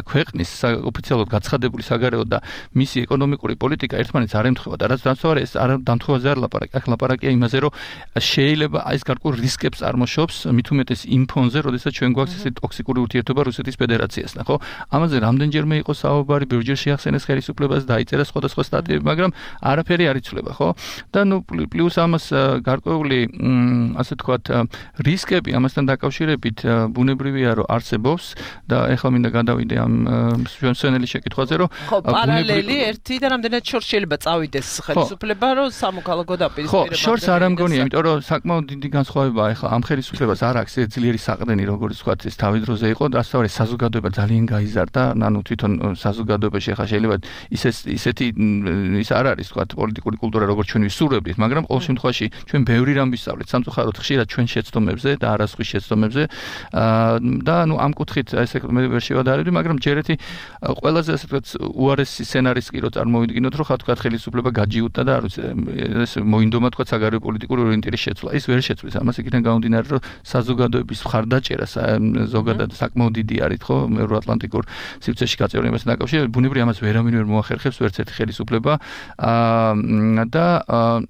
ქვეყნის ოფიციალურად გაცხადებული საგარეო და მისი ეკონომიკური პოლიტიკა ერთმანეთს არ ემთხვევა და რაც დამთავრდა ეს არ დამთხვევაზე არ ლაპარაკი. აქ ლაპარაკია იმაზე, რომ შეიძლება ეს გარკვეულ რისკებს წარმოშობს, მით უმეტეს იმ ფონზე, როდესაც ჩვენ გვაქვს ესე ტოქსიკური ურთიერთობა რუსეთის ფედერაციასთან, ხო? ამაზე რამდენჯერმე იყო საუბარი, ბევრჯერ შეახსენეს ხელისუფლებას, დაიწერა სხვადასხვა სტატიები, მაგრამ არაფერი არ იცვლება, ხო? და ნუ პლუს ამას გარკვეული ასე თქვათ რისკები ამასთან დაკავშირებით ბუნებრივია, რომ არსებობს და ეხლა მინდა გადავიდე ამ სვენელის შეკითხვაზე, რომ ხო, პარალელი ერთი და რამდენად შორს შეიძლება წავიდეს ხელისუფლება, რომ სამოქალაქო დაპირისპირება. ხო, შორს არ ამგონია, იმიტომ რომ საკმაოდ დიდი განსხვავებაა ეხლა ამ ხელისუფლებას არ აქვს ეს ძლიერი საყრდენი, როგორც ვთქვათ, ეს თავი დროზე იყო და ასევე საზოგადოება ძალიან გაიზარდა, ანუ თვითონ საზოგადოებაში ეხლა შეიძლება ისე ისეთი ის არ არის, ვთქვათ, პოლიტიკური კულტურა, როგორც ჩვენ ვისურვებდით, მაგრამ ყოველ შემთხვევაში ჩვენ ბევრი რამ ვისწავლეთ, სამწუხაროდ ხშირად ჩვენ შეცდომებზე და არასხვის შეცდომებზე და ანუ ამ კუთხით ესე მე ვერ შევადარებდი, მაგრამ ჯერეთი ყველაზე ასე ვთქვათ უარესი სცენარის კი რო წარმოვიდგინოთ, რომ ხა თქვათ ხელისუფლება გაჯიუტა და არ ვიცი ეს მოინდომა თქვათ საგარეო პოლიტიკური ორიენტირის შეცვლა. ის ვერ შეცვლის. ამას იქიდან გამომდინარე, რომ საზოგადოების მხარდაჭერა ზოგადად საკმაოდ დიდი არის, ხო, ევროატლანტიკურ სივრცეში გაწევრიანებასთან დაკავშირებით, ბუნებრივია ამას ვერავინ ვერ მოახერხებს ვერც ერთი ხელისუფლება და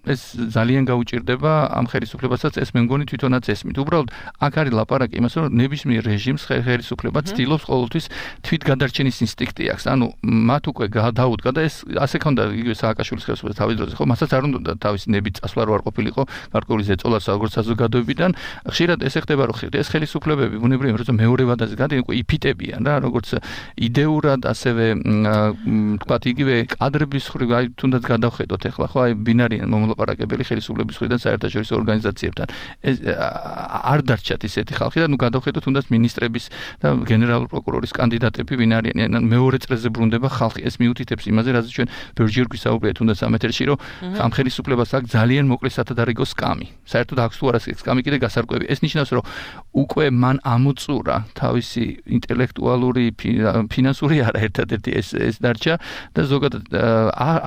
ეს ძალიან გაუჭირდება ამ ხელისუფლებასაც, ეს მე მგონი თვითონაც რამაც ესმით. უბრალოდ აქ არის ლაპარაკი იმას, რომ ნებისმიერ რეჟიმს ხელისუფლება ცდილობს ყოველთვის თვითგადარჩენის ინსტინქტი აქვს. ანუ მათ უკვე დაუდგა და ეს ასე ქონდა იგივე სააკაშვილის ხელისუფლების თავის დროზე, ხო, მასაც არ უნდა თავისი ნებით წასვლა რო არ ყოფილიყო გარკვეული ზეწოლა როგორც საზოგადოებიდან. ხშირად ესე ხდება, რომ ეს ხელისუფლებები ბუნებრივია, რომ მეორე ვადაზე გადის, უკვე იფიტებიან რა, როგორც იდეურად, ასევე თქვათ იგივე კადრების ხრივ, აი თუნდაც გადავხედოთ ახლა, ხო, აი ბინარიან მომლაპარაკებელი ხელისუფლების მხრიდან საერთაშორისო ორგანიზაციებთან. ეს არ დარჩათ ისეთი ხალხი და ნუ გადავხედოთ თუნდაც მინისტრების და გენერალური პროკურორის კანდიდატები ვინ არიან, ან მეორე წრეზე ბრუნდება ხალხი. ეს მიუთითებს იმაზე, რაზეც ჩვენ ბევრჯერ გვისაუბრეთ თუნდაც ამ ეთერში, რომ ამ ხელისუფლებას აქვს ძალიან მოკლე სათადარიგო სკამი. საერთოდ აქვს თუ არა სკამი კიდე გასარკვევი. ეს ნიშნავს, რომ უკვე მან ამოწურა თავისი ინტელექტუალური, ფინანსური არა ერთადერთი ეს ეს დარჩა და ზოგადად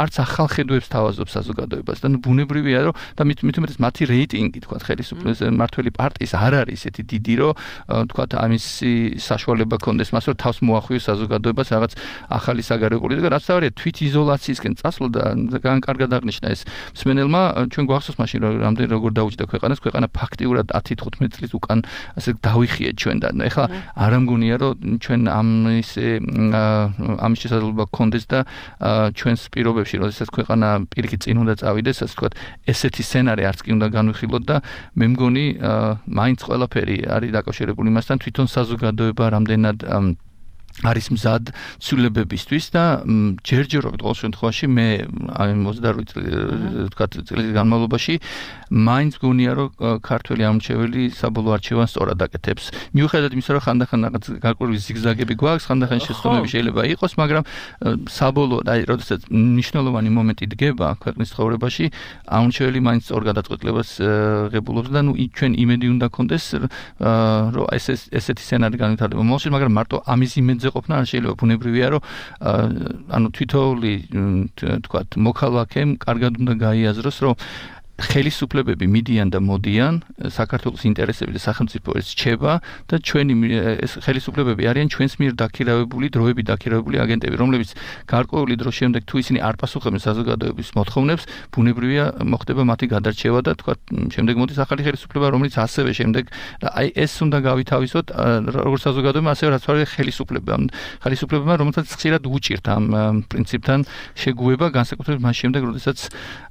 არც ახალხედვებს თავაზობს საზოგადოებას და ბუნებრივია, რომ და მით უმეტეს მათი რეიტინგი, თქვათ, ხელისუფლების მმართველი პარტიის არ არის ესეთი დიდი, რომ თქვათ, ამისი საშუალება ქონდეს მას, რომ თავს მოახვიოს საზოგადოებას რაღაც ახალი საგარეო პოლიტიკა, რაც თავარია თვითიზოლაციისკენ წასვლა და კარგად აღნიშნა ეს მსმენელმა. ჩვენ გვახსოვს მაშინ რომ რამდენი როგორ დაუჭდა ქვეყანას, ქვეყანა ფაქტიურად ათი თხუთმეტი წლის უკან ასე დავიხიეთ ჩვენ და ეხლა არ ამგონია რომ ჩვენ ამ ისე ამის შესაძლებლობა გქონდეს და ჩვენს პირობებში, როდესაც ქვეყანა პირიქით წინ უნდა წავიდეს, ასე ვთქვათ, ესეთი სცენარი არც კი უნდა განვიხილოთ და მე მგონი მაინც ყველაფერი არის დაკავშირებული იმასთან, თვითონ საზოგადოება რამდენად არის მზად ცვლილებებისთვის და ჯერჯერობით ყოველ შემთხვევაში მე აი ოცდაორი წლის განმავლობაში მაინც გონია რომ ქართველი ამრჩეველი საბოლოო არჩევანს სწორად აკეთებს. მიუხედავად იმისა, რომ ხანდახან რაღაც გარკვეული ზიგზაგები გვაქვს, ხანდახან შეცდომები შეიძლება იყოს, მაგრამ საბოლოოდ აი როდესაც მნიშვნელოვანი მომენტი დგება ქვეყნის ცხოვრებაში, ამრჩეველი მაინც სწორ გადაწყვეტილებას ღებულობს და ნუ ჩვენ იმედი უნდა გქონდეს რომ ეს ესეთი სცენარი განვითარდება მომავალში, მაგრამ მარტო ამის იმედზე ყოფნა არ შეიძლება. ბუნებრივია, რომ ანუ თითოეული თქვათ მოქალაქემ კარგად უნდა გაიაზროს, რომ ხელისუფლებები მიდიან და მოდიან, საქართველოს ინტერესები და სახელმწიფო ეს რჩება და ჩვენი ეს ხელისუფლებები არიან ჩვენს მიერ დაქირავებული, დროებით დაქირავებული აგენტები, რომლებიც გარკვეული დროს შემდეგ თუ ისინი არ პასუხობენ საზოგადოების მოთხოვნებს, ბუნებრივია მოხდება მათი გადარჩევა და თქვა შემდეგ მოდის ახალი ხელისუფლება, რომელიც ასევე შემდეგ და აი ეს უნდა გავითავისოთ როგორც საზოგადოება, ასევე რაც არის ხელისუფლება. ხელისუფლებებმა რომელსაც ხშირად უჭირთ ამ პრინციპთან შეგუება, განსაკუთრებით მას შემდეგ, როდესაც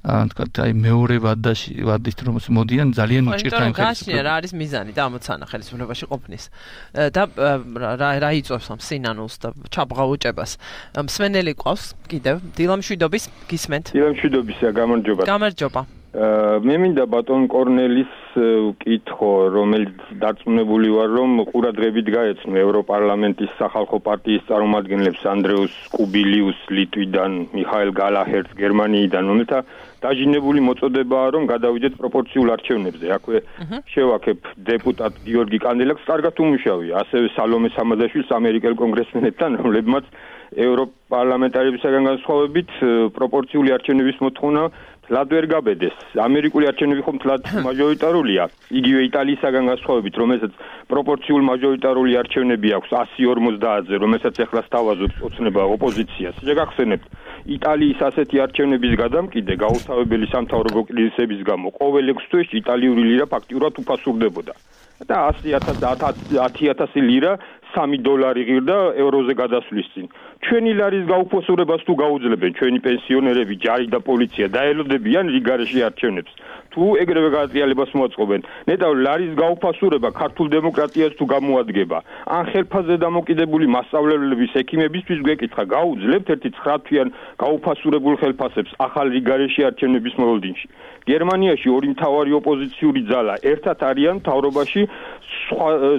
თქვა აი მეორე და ვადის რომ მოდიან ძალიან უჭირთ ამ ხელისუფლებას. რა არის მიზანი და ამოცანა ხელისუფლებაში ყოფნის და რა რა იწვევს ამ სინანულს და ჩაბღაუჭებას. მსმენელი ყავს კიდევ დილამშვიდობის გისმენთ. დილამშვიდობისა, გამარჯობა. გამარჯობა. მე მინდა ბატონ კორნელის ვკითხო, რომელიც დარწმუნებული ვარ, რომ ყურადღებით გაეცნო ევროპარლამენტის სახალხო პარტიის წარმომადგენლებს andreus kubilius ლიტვიდან, მიხაელ გალაჰერს გერმანიიდან, რომელთა დაჟინებული მოწოდებაა, რომ გადავიდეთ პროპორციულ არჩევნებზე. აქვე შევაქებ დეპუტატ გიორგი კანდელაკს, კარგად უმუშავია, ასევე სალომე სამადაშვილს ამერიკელ კონგრესმენებთან, რომლებმაც ევროპარლამენტარებისგან განსხვავებით პროპორციული არჩევნების მოთხოვნა თლად ვერ გაბედეს. ამერიკული არჩევნები ხომ თლად მაჟორიტარულია. იგივე იტალიისგან განსხვავებით, რომელსაც პროპორციულ მაჟორიტარული არჩევნები აქვს ასი ორმოცდაათზე, რომელსაც ახლა სთავაზობს ოცნება ოპოზიციას. შეგახსენებთ, იტალიის ასეთი არჩევნების გადამკიდე გაუთავებელი სამთავრობო კრიზისების გამო ყოველ ექვს თვეში იტალიური ლირა ფაქტიურად უფასურდებოდა. და ათი ათასი ლირა სამი დოლარი ღირდა ევროზე გადასვლის წინ. ჩვენი ლარის გაუფასურებას თუ გაუძლებენ ჩვენი პენსიონერები, ჯარი და პოლიცია დაელოდებიან რიგარეში არჩევნებს. თუ ეგრევე გადატრიალებას მოაწყობენ, ნეტავ ლარის გაუფასურება ქართულ დემოკრატიას თუ გამოადგება, ან ხელფასზე დამოკიდებული მასწავლებლების, ექიმებისთვის გვეკითხა, გაუძლებთ ერთი ცხრა თვიან გაუფასურებულ ხელფასებს ახალ რიგარეში არჩევნების მოლოდინში. გერმანიაში ორი მთავარი ოპოზიციური ძალა ერთად არიან მთავრობაში,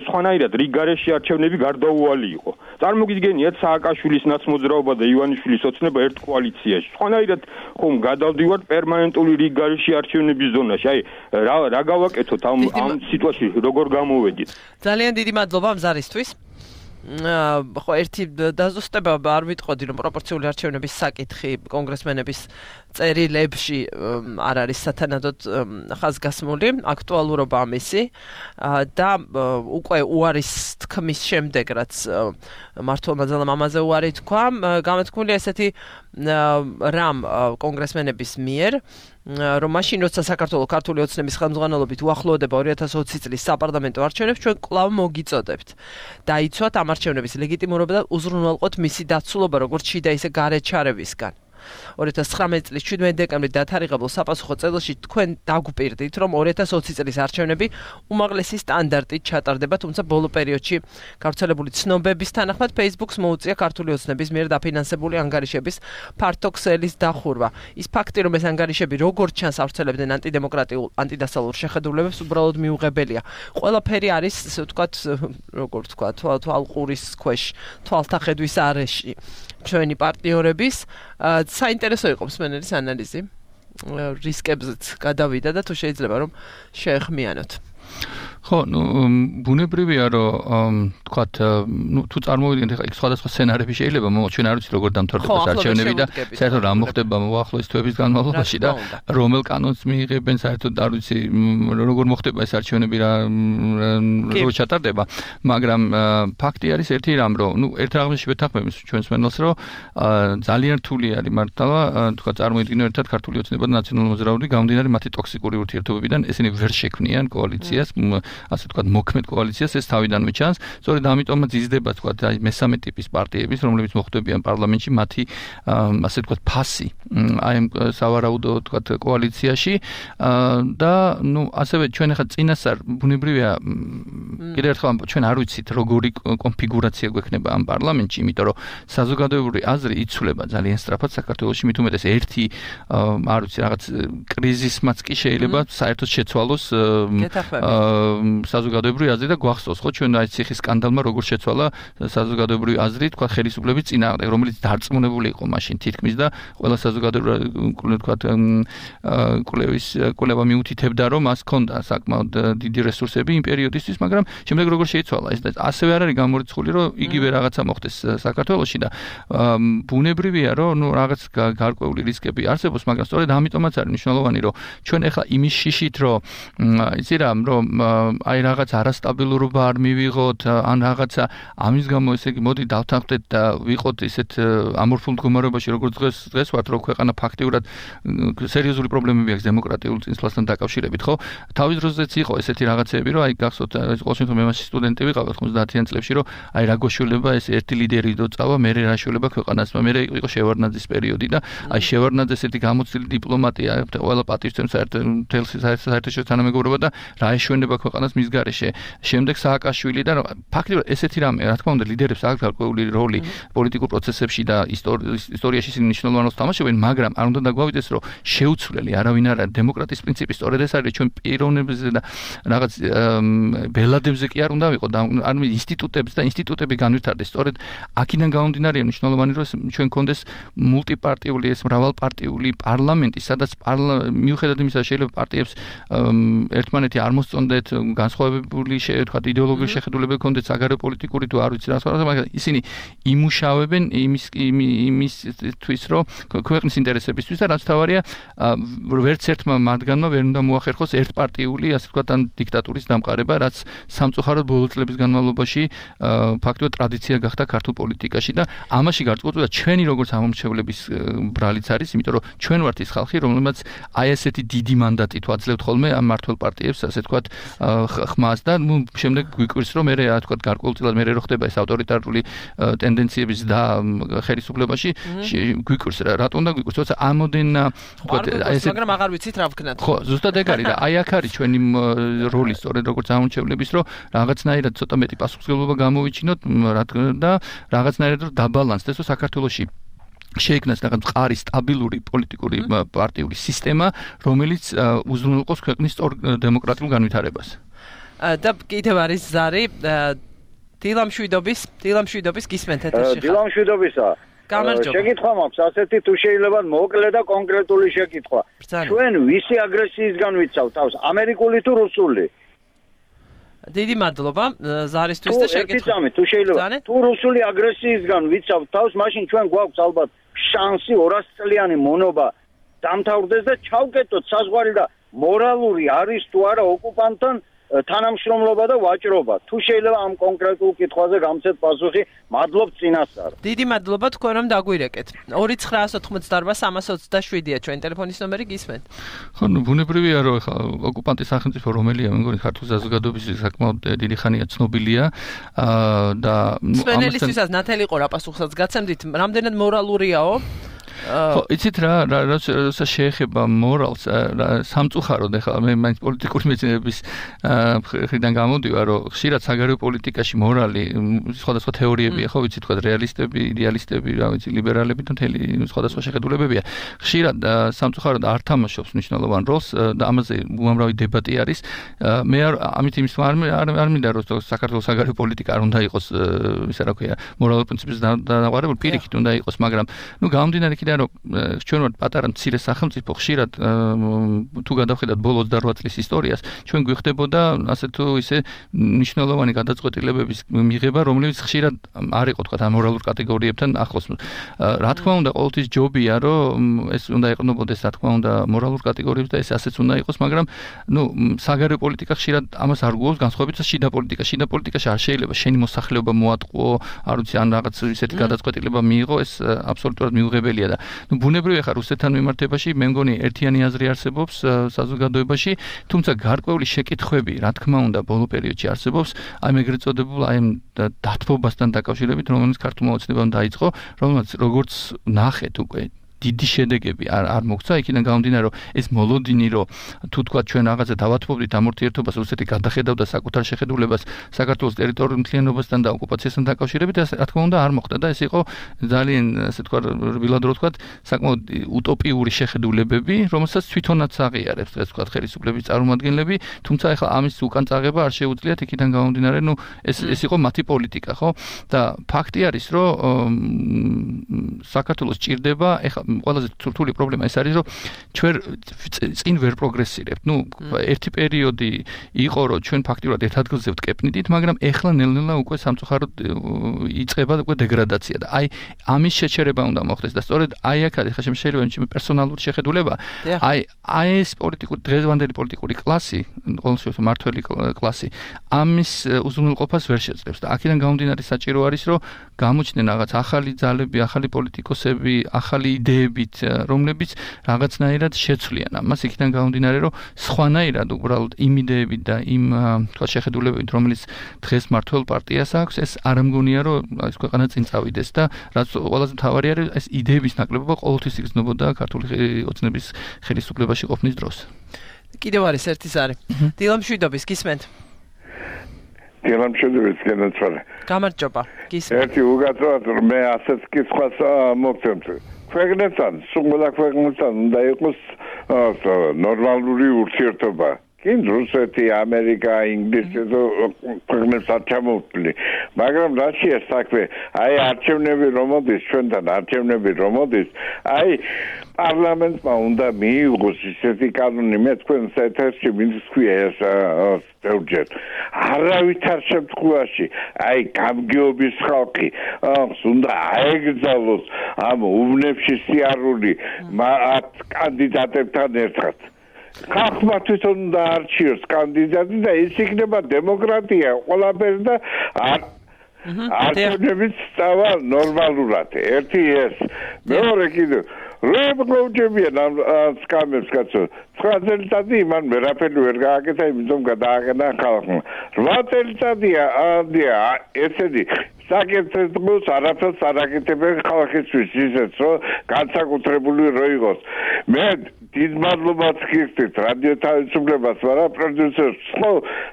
სხვანაირად რიგარეში არჩევნები გარდაუვალი იყო. წარმოგიდგენიათ სააკაშვილის ნაცმოძრაობა და ივანიშვილის ოცნება ერთ კოალიციაში. სხვანაირად ხომ გადავდივართ პერმანენტული რიგარეში არჩევნების ზონაში. აი რა რა გავაკეთოთ ამ ამ სიტუაციაში, როგორ გამოვედით? ძალიან დიდი მადლობა ამ ზარისთვის. ხო, ერთი დაზუსტება არ ვიტყოდი, რომ პროპორციული არჩევნების საკითხი კონგრესმენების წერილებში არ არის სათანადოდ ხაზგასმული აქტუალურობა ამისი და უკვე უარის თქმის შემდეგ რაც მართლმა ძალამ ამაზე უარი თქვა გამეთქმულია ესეთი რამ კონგრესმენების მიერ რომ მაშინ როცა საქართველოს ქართული ოცნების ხელმძღვანელობით უახლოვდება ორი ათას ოცი წლის საპარლამენტო არჩევნებს ჩვენ კვლავ მოგიწოდებთ დაიცვათ ამ არჩევნების ლეგიტიმურობა და უზრუნველყოთ მისი დაცულობა როგორც შიდა ისე გარე ჩარევისგან ორი ათას ცხრამეტი წლის შვიდმეტი დეკემბრის დათარიღებულ საპასუხო წერილში თქვენ დაგვპირდით რომ ორი ათას ოცი წლის არჩევნები უმაღლესი სტანდარტით ჩატარდება თუმცა ბოლო პერიოდში გავრცელებული ცნობების თანახმად Facebook-ს მოუწია ქართული ოცნების მიერ დაფინანსებული ანგარიშების ფართო ქსელის დახურვა ის ფაქტი რომ ეს ანგარიშები როგორც ჩანს ავრცელებდნენ ანტიდემოკრატიულ ანტიდასალურ შეხედულებებს უბრალოდ მიუღებელია ყველაფერი არის ასე ვთქვათ როგორ ვთქვათ თვალყურის ქვეშ თვალთახედვის არეში ჩვენი პარტნიორების საინტერესო იყო მსმენელის ანალიზი რისკებზეც გადავიდა და თუ შეიძლება რომ შეეხმიანოთ ხო, ну, ბუნებრივია რომ თქვათ, ну, თუ წარმოვიდგინეთ ახლა იქ სხვადასხვა სცენარები შეიძლება მომავალ ჩვენ არ ვიცით როგორ დამთავრდება არჩევნები და საერთოდ რა მოხდება მოახლოეს თვეების განმავლობაში და რომელ კანონს მიიღებენ საერთოდ არ ვიცი როგორ მოხდება ეს არჩევნები რა როგორ ჩატარდება, მაგრამ ფაქტი არის ერთი რამ რომ, ну, ერთ რაღაცში ვეთანხმები ჩვენს მენელს რომ ძალიან რთული არის მართლა თქვათ წარმოიდგინო ერთად ქართული ოცნება და ნაციონალური მოძრაობა გამომდინარე მათი ტოქსიკური ურთიერთობებიდან ესენი ვერ შექმნიან კოალიციას ასე ვთქვათ მოქმედ კოალიციას ეს თავიდანვე ჩანს სწორედ ამიტომაც იზრდება ვთქვათ აი მესამე ტიპის პარტიების რომლებიც მოხვდებიან პარლამენტში მათი ასე ვთქვათ ფასი აი ამ სავარაუდო ვთქვათ კოალიციაში და ну ასევე ჩვენ ახლა წინასწარ ბუნებრივია კიდევ ერთხელ ჩვენ არ ვიცით როგორი კონფიგურაცია გვექნება ამ პარლამენტში იმიტომ რომ საზოგადოებრივი აზრი იცვლება ძალიან სწრაფად საქართველოში მით უმეტეს ერთი არ ვიცი რაღაც კრიზისმაც კი შეიძლება საერთოდ შეცვალოს საზოგადოებრივი აზრი და გვახსოვს ხო ჩვენ აი ციხის სკანდალმა როგორ შეცვალა საზოგადოებრივი აზრი თქვა ხელისუფლების წინააღმდეგ რომელიც დარწმუნებული იყო მაშინ თითქმის და ყველა საზოგადოებრივი თქვა კვლევის კვლევა მიუთითებდა რომ მას ჰქონდა საკმაოდ დიდი რესურსები იმ პერიოდისთვის მაგრამ შემდეგ როგორ შეიცვალა ეს და ასევე არ არის გამორიცხული რომ იგივე რაღაცა მოხდეს საქართველოში და ბუნებრივია რომ ნუ რაღაც გარკვეული რისკები არსებობს მაგრამ სწორედ ამიტომაც არის მნიშვნელოვანი რომ ჩვენ ახლა იმის შიშით რომ იცი რა რომ აი რაღაც არასტაბილურობა არ მივიღოთ ან რაღაცა ამის გამო ესე იგი მოდი დავთანხმდეთ და ვიყოთ ისეთ ამორფულ მდგომარეობაში როგორც დღეს დღეს ვართ რომ ქვეყანა ფაქტიურად სერიოზული პრობლემები აქვს დემოკრატიულ წინსვლასთან დაკავშირებით ხო თავის დროზეც იყო ესეთი რაღაცები რომ აი გახსოვთ ყოველ შემთხვევაში მე მაშინ სტუდენტი ვიყავ ხმოცდაათიან წლებში რომ აი რა გოშულება ეს ერთი ლიდერი დოწავა მე რა შულება ქვეყანას მე იყო შევარდნაძის პერიოდი და აი შევარდნაძეს ერთი გამოცდილი დიპლომატია ყველა პატივცემს საერთოდ მთელს საერთაშორისო თანამეგობრობა და რა ეშვენება ქვეყანას მის გარეშე. შემდეგ სააკაშვილი და ფაქტობრივად ესეთი რამე, რა თქმა უნდა, ლიდერებს აქვს გარკვეული როლი პოლიტიკურ პროცესებში და ისტორიაში ისინი მნიშვნელოვან როლს თამაშობენ, მაგრამ არ უნდა დაგვავიდეს, რომ შეუცვლელი არავინ არ არის დემოკრატიის პრინციპი, სწორედ ეს არის ჩვენ პიროვნებზე და რაღაც ბელადებზე კი არ უნდა ვიყო, არ ინსტიტუტებს და ინსტიტუტები განვითარდეს. სწორედ აქედან გამომდინარეა მნიშვნელოვანი, რომ ჩვენ გქონდეს მულტიპარტიული ეს მრავალპარტიული პარლამენტი, სადაც მიუხედავად იმისა, შეიძლება პარტიებს ერთმანეთი არ მოსწონდეთ, განსხვავებული თქვა იდეოლოგიური შეხედულებები ჰქონდეთ საგარეო პოლიტიკური თუ არ ვიცი რა სხვა, მაგრამ ისინი იმუშავებენ იმის იმისთვის, რომ ქვეყნის ინტერესებისთვის და რაც თავარია, ვერც ერთმა მათგანმა ვერ უნდა მოახერხოს ერთპარტიული, ასე ვთქვათ, ან დიქტატურის დამყარება, რაც სამწუხაროდ ბოლო წლების განმავლობაში ფაქტობრივად ტრადიცია გახდა ქართულ პოლიტიკაში და ამაში გარკვეულწილად ჩვენი როგორც ამომრჩევლების ბრალიც არის, იმიტომ რომ ჩვენ ვართ ის ხალხი, რომელმაც აი ესეთი დიდი მანდატი თუ აძლევთ ხოლმე ამ მმართველ პარტიებს, ასე ვთქვათ, ხმას და ნუ შემდეგ გვიკვირს რომ მე რა ვთქვათ გარკვეულწილად მე რო ხდება ეს ავტორიტარული ტენდენციების და ხელისუფლებაში გვიკვირს რა რატომ უნდა გვიკვირს თორსა ამოდენ ვთქვათ ეს მაგრამ აღარ ვიცით რა ვქნათ ხო ზუსტად ეგ არის და აი აქ არის ჩვენი როლი სწორედ როგორც ამომრჩევლების რომ რაღაცნაირად ცოტა მეტი პასუხისმგებლობა გამოვიჩინოთ და რაღაცნაირად რომ დაბალანსდეს რომ საქართველოში შეიქმნას რაღაც მყარი სტაბილური პოლიტიკური პარტიული სისტემა, რომელიც უზრუნველყოს ქვეყნის სწორ დემოკრატიულ განვითარებას. და კიდევ არის ზარი დილამშვიდობის, დილამშვიდობის გისმენთ ეთერში. დილამშვიდობისა. შეკითხვა მაქვს, ასეთი თუ შეიძლება მოკლე და კონკრეტული შეკითხვა. ჩვენ ვისი აგრესიისგან ვიცავთ თავს, ამერიკული თუ რუსული? დიდი მადლობა ზარისთვის და შეკითხვა. თუ შეიძლება თუ რუსული აგრესიისგან ვიცავთ თავს, მაშინ ჩვენ გვაქვს ალბათ შანსი ორას წლიანი მონობა დამთავრდეს და ჩავკეტოთ საზღვარი და მორალური არის თუ არა ოკუპანტთან თანამშრომლობა და ვაჭრობა. თუ შეიძლება ამ კონკრეტულ კითხვაზე გამცეთ პასუხი, მადლობთ წინასწარ. დიდი მადლობა თქვენ რომ დაგვირეკეთ. ორი ცხრაას ოცდაოთხმოცდაარბა სამას ოცდაშვიდია ჩვენ ტელეფონის ნომერი გისმენთ. ხო, ნუ ბუნებრივია რომ ეხლა ოკუპანტის სახელმწიფო რომელია, მე მგონი ქართულ საზოგადოების საკმაოდ დიდი ხანია ცნობილია და სპენელისთვისაც ნათელი ყო რა პასუხსაც გაცემდით, რამდენად მორალურიაო? ხო, იცით რა, რაცა შეეხება მორალს, სამწუხაროდ ეხლა მე მაინც პოლიტიკური მეცნიერების მხრიდან გამოდივარ, რომ ხშირად საგარეო პოლიტიკაში მორალი სხვადასხვა თეორიებია, ხო, ვიცით, თქვა რეალისტები, იდეალისტები, რა ვიცი, ლიბერალები და მთელი სხვადასხვა შეხედულებებია. ხშირად სამწუხაროდ არ თამაშობს მნიშვნელოვან როლს და ამაზე უამრავი დებატი არის. მე ამით იმის არ არ მინდა რომ საქართველოს საგარეო პოლიტიკა არ უნდა იყოს, ისა რა ქვია, მორალურ პრინციპებზე დანაგვარებული, პირიქით უნდა იყოს, მაგრამ ნუ გამომდინარე იქიდან რომ ჩვენ ვართ პატარა მცირე სახელმწიფო, ხშირად თუ გადავხედათ ბოლო ოცდაოთხ წლის ისტორიას, ჩვენ გვიხდებოდა ასე თუ ისე მნიშვნელოვანი გადაწყვეტილებების მიღება, რომლებიც ხშირად არ იყო თქვა ამ მორალურ კატეგორიებთან ახლოს. რა თქმა უნდა, ყოველთვის ჯობია, რომ ეს უნდა ეყნობოდეს, რა თქმა უნდა, მორალურ კატეგორიებს და ეს ასეც უნდა იყოს, მაგრამ ნუ საგარეო პოლიტიკა ხშირად ამას არ გულობს, განსხვავებით შიდა პოლიტიკა. შიდა პოლიტიკაში არ შეიძლება შენი მოსახლეობა მოატყუო, არ ვიცი, ან რაღაც ისეთი გადაწყვეტილება მიიღო, ეს აბსოლუტურად მიუღებელია და ნუ ბუნებრივია ხარ რუსეთთან მიმართებაში, მე მგონი ერთიანი აზრი არსებობს საზოგადოებაში, თუმცა გარკვეული შეკითხვები, რა თქმა უნდა, ბოლო პერიოდში არსებობს, აი ეგრეთ წოდებულ აი დათბობასთან დაკავშირებით, რომელიც ქართულმა ოცნებამ დაიწყო, რომელსაც როგორც ნახეთ უკვე დიდი შედეგები არ არ მოგცა, იქიდან გამომდინარე, რომ ეს მოლოდინი, რომ თუ თქვა ჩვენ რაღაცა დავათმობდით ამ ურთიერთობას, რუსეთი გადახედავდა საკუთარ შეხედულებას საქართველოს ტერიტორიულ მთლიანობასთან და ოკუპაციასთან დაკავშირებით, რა თქმა უნდა არ მოხდა და ეს იყო ძალიან, ასე თქვა, რბილად რო თქვა, საკმაოდ უტოპიური შეხედულებები, რომელსაც თვითონაც აღიარებს დღეს თქვა ხელისუფლების წარმომადგენლები, თუმცა ეხლა ამის უკან წაღება არ შეუძლიათ, იქიდან გამომდინარე, ნუ ეს ეს იყო მათი პოლიტიკა, ხო? და ფაქტი არის, რომ საქართველოს ჭირდება ეხლა ყველაზე რთული პრობლემა ეს არის, რომ ჩვენ წინ ვერ პროგრესირებთ. ნუ ერთი პერიოდი იყო, რომ ჩვენ ფაქტიურად ერთ ადგილზე ვტკეპნიდით, მაგრამ ეხლა ნელ-ნელა უკვე სამწუხაროდ იწყება უკვე დეგრადაცია და აი ამის შეჩერება უნდა მოხდეს და სწორედ აი აქ არის ხა შეიძლება ჩემი პერსონალური შეხედულება. აი აი ეს პოლიტიკური დღევანდელი პოლიტიკური კლასი, ყოველთვის მართველი კლასი ამის უზრუნველყოფას ვერ შეძლებს და აქედან გამომდინარე საჭირო არის, რომ გამოჩნდნენ რაღაც ახალი ძალები, ახალი პოლიტიკოსები, ახალი იდეებით, რომლებიც რაღაცნაირად შეცვლიან ამას, იქიდან გამომდინარე, რომ სხვანაირად უბრალოდ იმ იდეებით და იმ თქვა შეხედულებებით, რომელიც დღეს მართლ პარტიას აქვს, ეს არ მგონია, რომ ეს ქვეყანა წინ წავიდეს და რაც ყველაზე მთავარი არის, ეს იდეების ნაკლებობა ყოველთვის იგრძნობოდა ქართული ოცნების ხელისუფლებაში ყოფნის დროს. კიდევ არის ერთი ზარი. დილამშვიდობის გისმენთ. დილამშვიდობის გენაცვალე. გამარჯობა. გისმენთ. ერთი უგაცრუათ მე ასეთ კითხვას მოგცემთ. ქვეყნებთან, სულ ქვეყნებთან უნდა იყოს ნორმალური ურთიერთობა. კინ რუსეთი, ამერიკა, ინგლისი და ქვეყნებთან ჩამოვთვლი. მაგრამ რაშია საქმე? აი არჩევნები რომ მოდის, ჩვენთან არჩევნები რომ მოდის, აი პარლამენტმა უნდა მიიღოს ისეთი კანონი, მე თქვენს ეთერში მინსქვია ეს ბევრჯერ. არავითარ შემთხვევაში, აი გამგეობის ხალხი უნდა აეგზავნოს ამ უბნებში სიარული კანდიდატებთან ერთად. ხალხმა თვითონ უნდა არჩიოს კანდიდატი და ის იქნება დემოკრატია ყველაფერი და არჩევნებიც სწავა ნორმალურად. ერთი ეს. მეორე კიდევ რებგლოვჯებიან ამ სკამებს კაცო. ცხრა წელიწადი იმან ვერაფერი ვერ გააკეთა, იმიტომ გადააყენა ხალხმა. რვა წელიწადია ადია ესეთი საკეთებს არაფერს არ აკეთებენ ხალხისთვის ისეც, რომ განსაკუთრებული რო იყოს. მე დიდ მადლობას გიხდით რადიო თავისუფლებას, მაგრამ პროდიუსერს ხო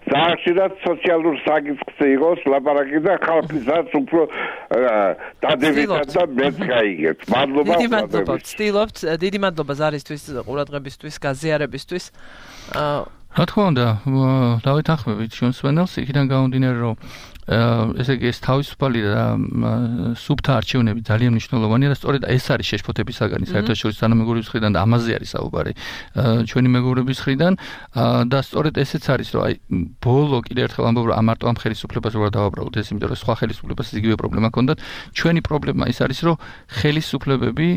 ზახშირად სოციალურ საკითხზე იყოს ლაპარაკი და ხალხისაც უფრო დადებითად და მეც გაიგეთ. მადლობა. დიდი მადლობა. ვცდილობთ, დიდი მადლობა ზარისთვის, ყურადღებისთვის, გაზიარებისთვის. რა თქმა უნდა, დავითანხმებით ჩვენს სვენელს, იქიდან გამომდინარე, რომ ესე იგი ეს თავისუფალი და სუბთა არჩევნები ძალიან მნიშვნელოვანია და სწორედ ეს არის შეშფოთების საგანი საერთაშორისო თანამეგობრობის მხრიდან და ამაზე არის საუბარი ჩვენი მეგობრების მხრიდან და სწორედ ესეც არის რომ აი ბოლო კიდევ ერთხელ ამბობ რომ ამარტო ამ ხელისუფლებას როგორ დავაბრალოთ ეს იმიტომ რომ სხვა ხელისუფლებას იგივე პრობლემა ჰქონდათ ჩვენი პრობლემა ის არის რომ ხელისუფლებები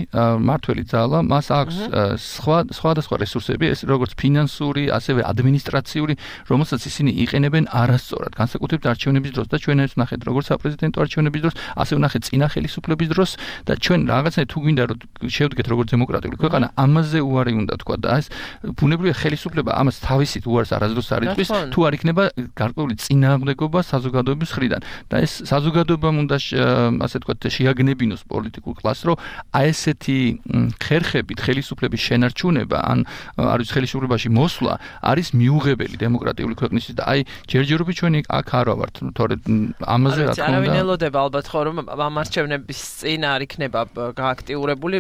მართველი ძალა მას აქვს სხვა სხვადასხვა რესურსები ეს როგორც ფინანსური ასევე ადმინისტრაციული რომელსაც ისინი იყენებენ არასწორად განსაკუთრებით არჩევნების დროს და ჩვენ ეს ნახეთ როგორც საპრეზიდენტო არჩევნების დროს, ასე ვნახეთ წინა ხელისუფლების დროს და ჩვენ რაღაცნაირად თუ გვინდა რომ შევდგეთ როგორც დემოკრატიული ქვეყანა, ამაზე უარი უნდა თქვა და ეს ბუნებრივია ხელისუფლება ამას თავისით უარს არასდროს არ იწვის, თუ არ იქნება გარკვეული წინააღმდეგობა საზოგადოების მხრიდან და ეს საზოგადოებამ უნდა ასე თქვა შეაგნებინოს პოლიტიკურ კლასს, რომ აი ესეთი ხერხებით ხელისუფლების შენარჩუნება ან არის ხელისუფლებაში მოსვლა არის მიუღებელი დემოკრატიული ქვეყნისთვის და აი ჯერჯერობით ჩვენი აქ არ ვართ, თორე ამაზე რა თქმა უნდა. არავინ ელოდება ალბათ ხო რომ ამ არჩევნების წინ არ იქნება გააქტიურებული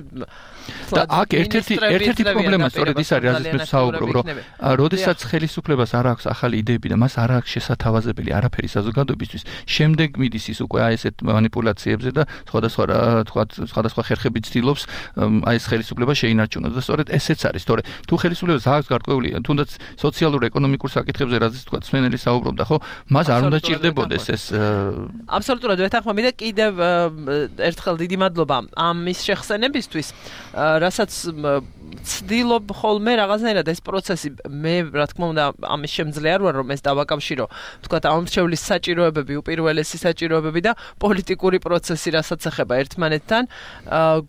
და აქ ერთ-ერთი ერთ-ერთი პრობლემა სწორედ ის არის, რაზეც მე საუბრობ, რომ როდესაც ხელისუფლებას არ აქვს ახალი იდეები და მას არ აქვს შესათავაზებელი არაფერი საზოგადოებისთვის, შემდეგ მიდის ის უკვე აი ესეთ манипуляციებზე და სხვადასხვა თქვა სხვადასხვა ხერხებით ცდილობს აი ეს ხელისუფლება შეინარჩუნოს და სწორედ ესეც არის, თორე თუ ხელისუფლებას აქვს გარკვეული თუნდაც სოციალურ-ეკონომიკურ საკითხებზე, რაზეც თქვა სვენელი საუბრობდა, ხო, მას არ უნდა ჭირდებოდეს ეს აბსოლუტურად ვეთანხმები და კიდევ ერთხელ დიდი მადლობა ამის შეხსენებისთვის, რასაც ცდილობ ხოლმე რაღაცნაირად ეს პროცესი მე რა თქმა უნდა ამის შემძლე არ ვარ რომ ეს დავაკავშირო თქვათ ამრჩევლის საჭიროებები უპირველესი საჭიროებები და პოლიტიკური პროცესი რასაც ეხება ერთმანეთთან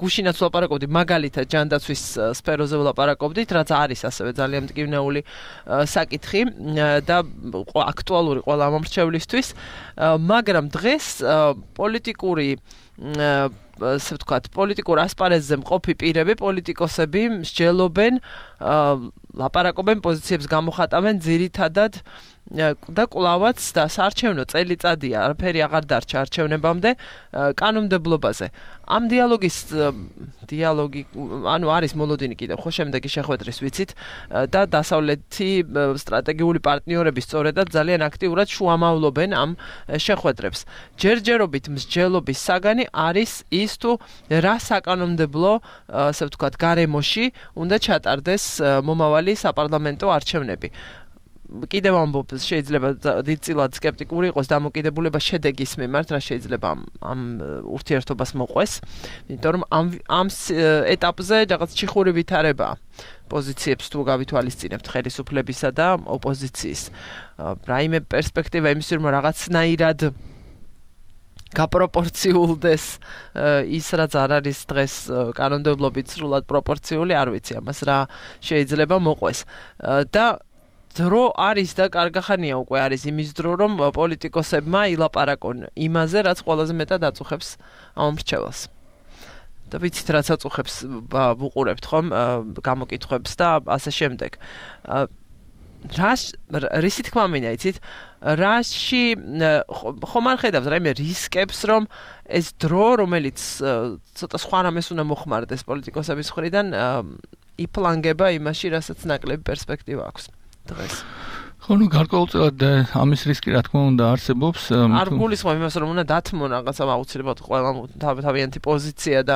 გუშინაც ვლაპარაკობდი მაგალითად ჯანდაცვის სფეროზე ვლაპარაკობდით რაც არის ასევე ძალიან მტკივნეული საკითხი და აქტუალური ყველა ამრჩევლისთვის მაგრამ დღეს პოლიტიკური ასე ვთქვათ, პოლიტიკურ ასპარეზზე მყოფი პირები, პოლიტიკოსები მსჯელობენ, ლაპარაკობენ პოზიციებს გამოხატავენ ძირითადად და კვლავაც და საარჩევნო წელიწადია, არაფერი აღარ დარჩა არჩევნებამდე კანონმდებლობაზე. ამ დიალოგის დიალოგი, ანუ არის მოლოდინი კიდევ ხო შემდეგი შეხვედრის ვიცით და დასავლეთი სტრატეგიული პარტნიორები სწორედად ძალიან აქტიურად შუამავლობენ ამ შეხვედრებს. ჯერჯერობით მსჯელობის საგანი არის ის თუ რა საკანონმდებლო, ასე ვთქვათ, გარემოში უნდა ჩატარდეს მომავალი საპარლამენტო არჩევნები. კიდევ ამბობ შეიძლება დიდწილად სკეპტიკური იყოს დამოკიდებულება შედეგის მიმართ, რა შეიძლება ამ ამ ურთიერთობას მოყვეს, იმიტომ რომ ამ ამ ეტაპზე რაღაც ჩიხური ვითარებაა პოზიციებს თუ გავითვალისწინებთ ხელისუფლებისა და ოპოზიციის. რაიმე პერსპექტივა იმის რომ რაღაცნაირად გაპროპორციულდეს ის რაც არ არის დღეს კანონმდებლობით სრულად პროპორციული, არ ვიცი ამას რა შეიძლება მოყვეს. და დრო არის და კარგახანია უკვე არის იმის დრო რომ პოლიტიკოსებმა ილაპარაკონ იმაზე რაც ყველაზე მეტად აწუხებს ამ მრჩეველს. და ვიცით რაც აწუხებს ვუყურებთ ხომ გამოკითხვებს და ასე შემდეგ. რა რისი თქმა მინდა იცით რაში ხომ არ ხედავთ რაიმე რისკებს რომ ეს დრო რომელიც ცოტა სხვა რამეს უნდა მოხმარდეს პოლიტიკოსების მხრიდან იფლანგება იმაში რასაც ნაკლები პერსპექტივა აქვს. დღეს. ხო, ნუ გარკვეულწილად ამის რისკი რა თქმა უნდა არსებობს. არ გულისხმობ იმას რომ უნდა დათმო რაღაცა აუცილებლად ყველა თავიანთი პოზიცია და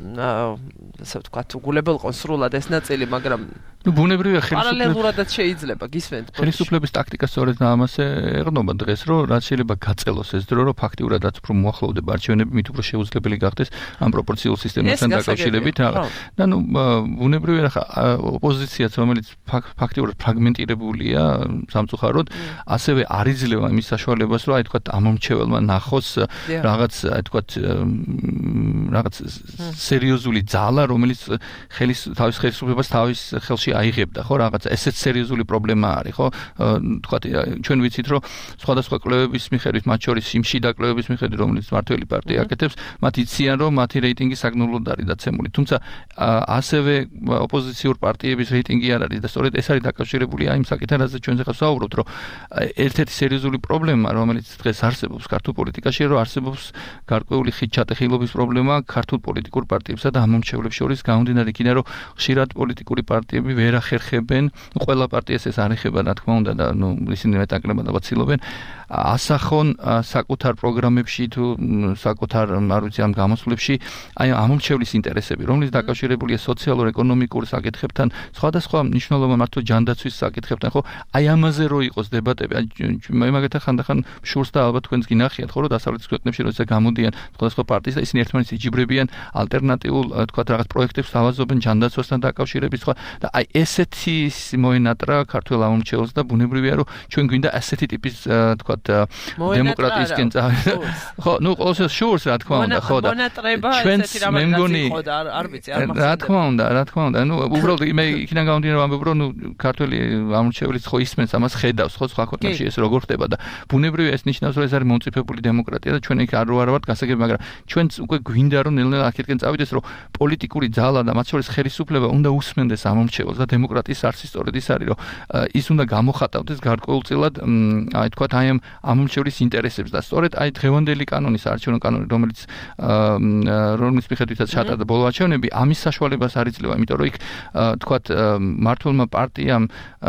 ასე ვთქვათ, უგულებელყონ სრულად ეს ნაწილი, მაგრამ ნუ ბუნებრივია ხელისუფლების პარალელურადაც შეიძლება გისმენთ. ხელისუფლების ტაქტიკა სწორედ ამაზე ეყრდნობა დღეს, რომ რაც შეიძლება გაწელოს ეს დრო, რომ ფაქტიურად რაც უფრო მოახლოვდება არჩევნები, მით უფრო შეუძლებელი გახდეს ამ პროპორციულ სისტემასთან დაკავშირებით რაღაც. და ნუ ბუნებრივია ხა ოპოზიციაც, რომელიც ფაქტიურად ფრაგმენტირებულია სამწუხაროდ, ასევე არ იძლევა იმის საშუალებას, რომ აი თქვა ამომრჩეველმა ნახოს რაღაც აი თქვა რაღაც სერიოზული ძალა, რომელიც ხელის თავის ხელისუფლებას თავის ხელში აიღებდა, ხო, რაღაცა ესეც სერიოზული პრობლემა არის, ხო? თქვათ, ჩვენ ვიცით, რომ სხვადასხვა კვლევების მიხედვით, მათ შორის იმ შიდა კვლევების მიხედვით, რომელიც მართველი პარტია აკეთებს, მათ იციან, რომ მათი რეიტინგი საგნულად არის დაცემული. თუმცა ასევე ოპოზიციურ პარტიების რეიტინგი არ არის და სწორედ ეს არის დაკავშირებული აი იმ საკითხთან, რაზეც ჩვენ ახლა ვსაუბრობთ, რომ ერთ-ერთი სერიოზული პრობლემა, რომელიც დღეს არსებობს ქართულ პოლიტიკაში, რომ არსებობს გარკვეული ხიდჩატეხილობის პრობლემა ქართულ პოლიტიკურ პარტიებსა და ამომრჩევლებს შორის გამომდინარე იქიდან რომ ხშირად პოლიტიკური პარტიები ვერ ახერხებენ, ყველა პარტიას ეს არ ეხება რა თქმა უნდა და ნუ ისინი მეტაკლებად ალბათ ცდილობენ ასახონ საკუთარ პროგრამებში თუ საკუთარ არ ვიცი ამ გამოსვლებში აი ამომრჩევლის ინტერესები, რომლის დაკავშირებულია სოციალურ-ეკონომიკურ საკითხებთან, სხვადასხვა მნიშვნელოვან მართლა ჯანდაცვის საკითხებთან, ხო? აი ამაზე რო იყოს დებატები, მე მაგათთან ხანდახან შურს და ალბათ თქვენს გინახიათ, ხო, რომ დასავლეთის ქვეყნებში როცა გამოდიან სხვადასხვა პარტიის და ისინი ერთმანეთს იჯიბრებიან ალტერნატიულ, თქვა რაღაც პროექტებს ავაზობენ ჯანდაცვასთან დაკავშირებით, ხო? და აი ესეთი მოენატრა ქართულ ამომრჩევლს და ბუნებრივია რომ ჩვენ გვინდა ასეთი ტიპის თქვა დემოკრატიისკენ წავიდეთ. ხო, ნუ ყოველთვის შურს რა თქმა უნდა, ხო და ჩვენც მე მგონი არ ვიცი, არ მახსოვს. რა თქმა უნდა, რა თქმა უნდა, ნუ უბრალოდ მე იქიდან გამომდინარე რომ ამბობ რომ ნუ ქართული ამომრჩევლიც ხო ისმენს ამას ხედავს, ხო სხვა ქვეყნებში ეს როგორ ხდება და ბუნებრივია ეს ნიშნავს რომ ეს არის მომწიფებული დემოკრატია და ჩვენ იქ არ ვარ ვართ გასაგები, მაგრამ ჩვენც უკვე გვინდა რომ ნელ-ნელა აქეთკენ წავიდეს რომ პოლიტიკური ძალა და მათ შორის ხელისუფლება უნდა უსმენდეს ამომრჩევლს და დემოკრატიის არსი სწორედ ის არის რომ ის უნდა გამოხატავდეს გარკვეულწილად აი თქვათ აი ამ ამომრჩევლის ინტერესებს და სწორედ აი დღევანდელი კანონი საარჩევნო კანონი რომელიც რომლის მიხედვითაც ჩატარდა ბოლო არჩევნები ამის საშუალებას არ იძლევა, იმიტომ რომ იქ თქვათ მართლმა პარტიამ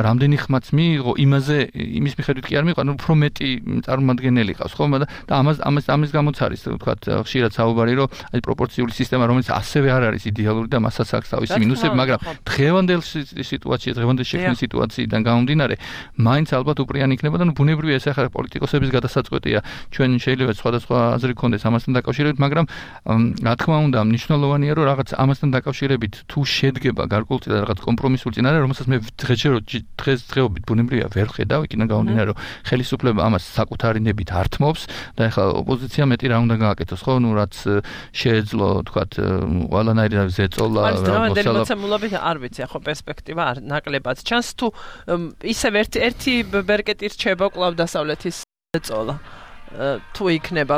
რამდენი ხმაც მიიღო იმაზე იმის მიხედვით კი არ მიიღო, ანუ უფრო მეტი წარმომადგენელი ყავს, ხო? და ამას ამას ამის გამოც არის თქვათ ხშირად საუბარი რომ აი პროპორციული სისტემა რომელიც ასევე არ არის იდეალური და მასაც აქვს თავისი მინუსები, მაგრამ დღევანდელ სიტუაციაში, დღევანდელ შექმნის სიტუაციიდან გამომდინარე, მაინც ალბათ უპრიანი იქნება და ნუ ბუნებრივია ეს ახლა პოლიტიკოსების გადასაწყვეტია. ჩვენ შეიძლება სხვადასხვა აზრი გქონდეს ამასთან დაკავშირებით, მაგრამ რა თქმა უნდა, მნიშვნელოვანია რომ რაღაც ამასთან დაკავშირებით თუ შედგება გარკვეულწილად რაღაც კომპრომისული წინარე, რომელსაც მე დღეს დღეობით ბუნებრივია ვერ ხედავ, იქიდან გამომდინარე რომ ხელისუფლება ამას საკუთარი ნებით ართმობს და ახლა ოპოზიცია მეტი რა უნდა გააკეთოს, ხო? ნუ რაც შეეძლო, თქვათ, ყველანაირი ზეწოლა, რაღაცა მოცემულობით არ ვიცი, ხო პერსპექტივა არ ნაკლებად ჩანს თუ ისევ ერთი ერთი ბერკეტი რჩება კვლავ დასავლეთის ზეწოლა. თუ იქნება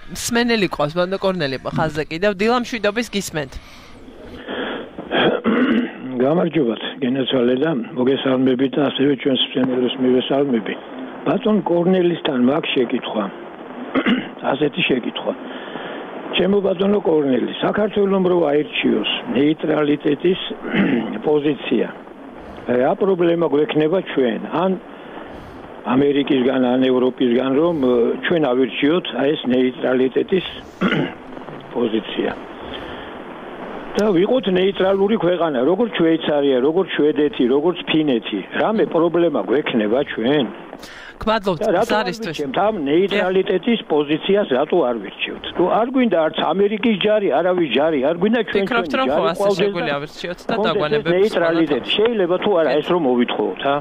მსმენელი ყავს ბანდო კორნელი ხაზზე კიდევ დილამშვიდობის გისმენთ. გამარჯობათ, გენაცვალე და მოგესალმებით და ასევე ჩვენს მსმენელებს მივესალმები. ბატონ კორნელისთან მაქვს შეკითხვა. ასეთი შეკითხვა. ჩემო ბატონო კორნელი, საქართველოს რო აირჩიოს ნეიტრალიტეტის პოზიცია. რა პრობლემა გვექნება ჩვენ? ან ამერიკისგან, ან ევროპისგან რომ ჩვენ ავირჩიოთ აი ეს ნეიტრალიტეტის პოზიცია. და ვიყოთ ნეიტრალური ქვეყანა, როგორც შვეიცარია, როგორც შვედეთი, როგორც ფინეთი. რამე პრობლემა გვექნება ჩვენ? გმადლობთ ზარისთვის. ამ ნეიტრალიტეტის პოზიციას რატო არ ვირჩევთ? თუ არ გვინდა არც ამერიკის ჯარი, არავის ჯარი, არ გვინდა ჩვენ ჩვენი ჯარი. ფიქრობთ რომ ხო ასე შეგვიძლია ავირჩიოთ და დაგვანებებს ნეიტრალიტეტი შეიძლება თუ არა ეს რომ მოვითხოთ, ა?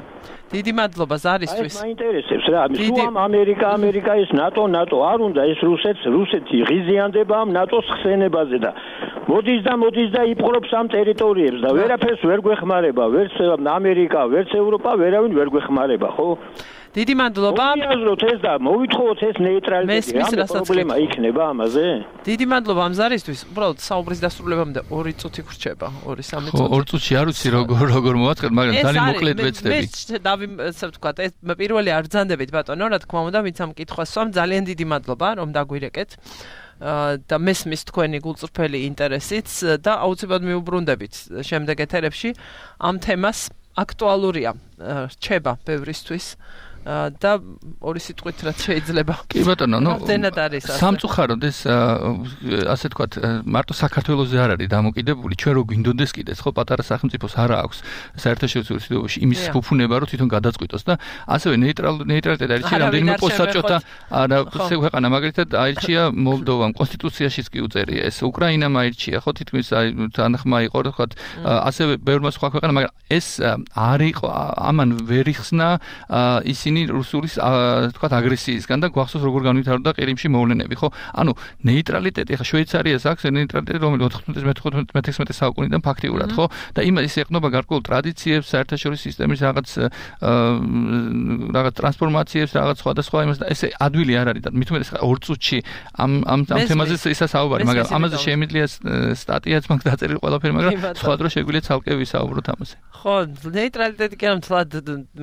დიდი მადლობა ზარისთვის. აი მაინტერესებს რა, თუ ამ ამერიკა, ამერიკა ეს ნატო, ნატო არ უნდა ეს რუსეთს, რუსეთი ღიზიანდება ამ ნატოს ხსენებაზე და მოდის და მოდის და იპყრობს ამ ტერიტორიებს და ვერაფერს ვერ გვეხმარება, ვერც ამერიკა, ვერც ევროპა, ვერავინ ვერ გვეხმარება, ხო? დიდი მადლობა. მოვიაზროთ ეს და მოვითხოვოთ ეს ნეიტრალიტეტი. რა პრობლემა იქნება ამაზე? დიდი მადლობა ამ ზარისთვის. უბრალოდ საუბრის დასრულებამდე ორი წუთი გრჩება, ორი სამი წუთი. ხო, ორი წუთი არ ვიცი როგორ როგორ მოვაწყეთ, მაგრამ ძალიან მოკლედ ვეცდები. მე დავი ასე ვთქვა, ეს პირველი არ ბრძანდებით ბატონო, რა თქმა უნდა, ვინც ამ კითხვას სვამ, ძალიან დიდი მადლობა, რომ დაგვირეკეთ. და მესმის თქვენი გულწრფელი ინტერესიც და აუცილებლად მიუბრუნდებით შემდეგ ეთერებში ამ თემას აქტუალურია რჩება ბევრისთვის და ორი სიტყვით რაც შეიძლება. კი ბატონო, ნუ სამწუხაროდ ეს ასე თქვათ, მარტო საქართველოზე არ არის დამოკიდებული, ჩვენ რო გვინდოდეს კიდეც, ხო, პატარა სახელმწიფოს არა აქვს საერთაშორისო სიტუაციაში იმის ფუფუნება, რომ თვითონ გადაწყვიტოს და ასევე ნეიტრალ ნეიტრალიტეტი არჩია რამდენიმე პოსტსაჭოთა არა ქვეყანა, მაგალითად აირჩია მოლდოვამ, კონსტიტუციაშიც კი უწერია ეს, უკრაინამ აირჩია, ხო, თითქმის აი თანხმა იყო, ხო, ასევე ბევრმა სხვა ქვეყანა, მაგრამ ეს არ იყო, ამან ვერ იხსნა ისინი რუსულის თქვათ აგრესიისგან და გვახსოვს როგორ განვითარდა ყირიმში მოვლენები, ხო? ანუ ნეიტრალიტეტი, ხა შვეიცარიას აქვს ნეიტრალიტეტი, რომელიც ოთხმოცდაათი მეთექვსმეტე საუკუნიდან ფაქტიურად, ხო? და იმას ეყნობა გარკვეულ ტრადიციებს, საერთაშორისო სისტემის რაღაც რაღაც ტრანსფორმაციებს, რაღაც სხვადასხვა იმას და ესე ადვილი არ არის და მით უმეტეს ორ წუთში ამ ამ ამ თემაზე ისა საუბარი, მაგრამ ამაზე შემიძლია სტატიაც მაგ დაწერილი ყველაფერი, მაგრამ სხვა დრო შეგვიძლია ცალკე ვისაუბროთ ამაზე. ხო, ნეიტრალიტეტი კი არა, თლად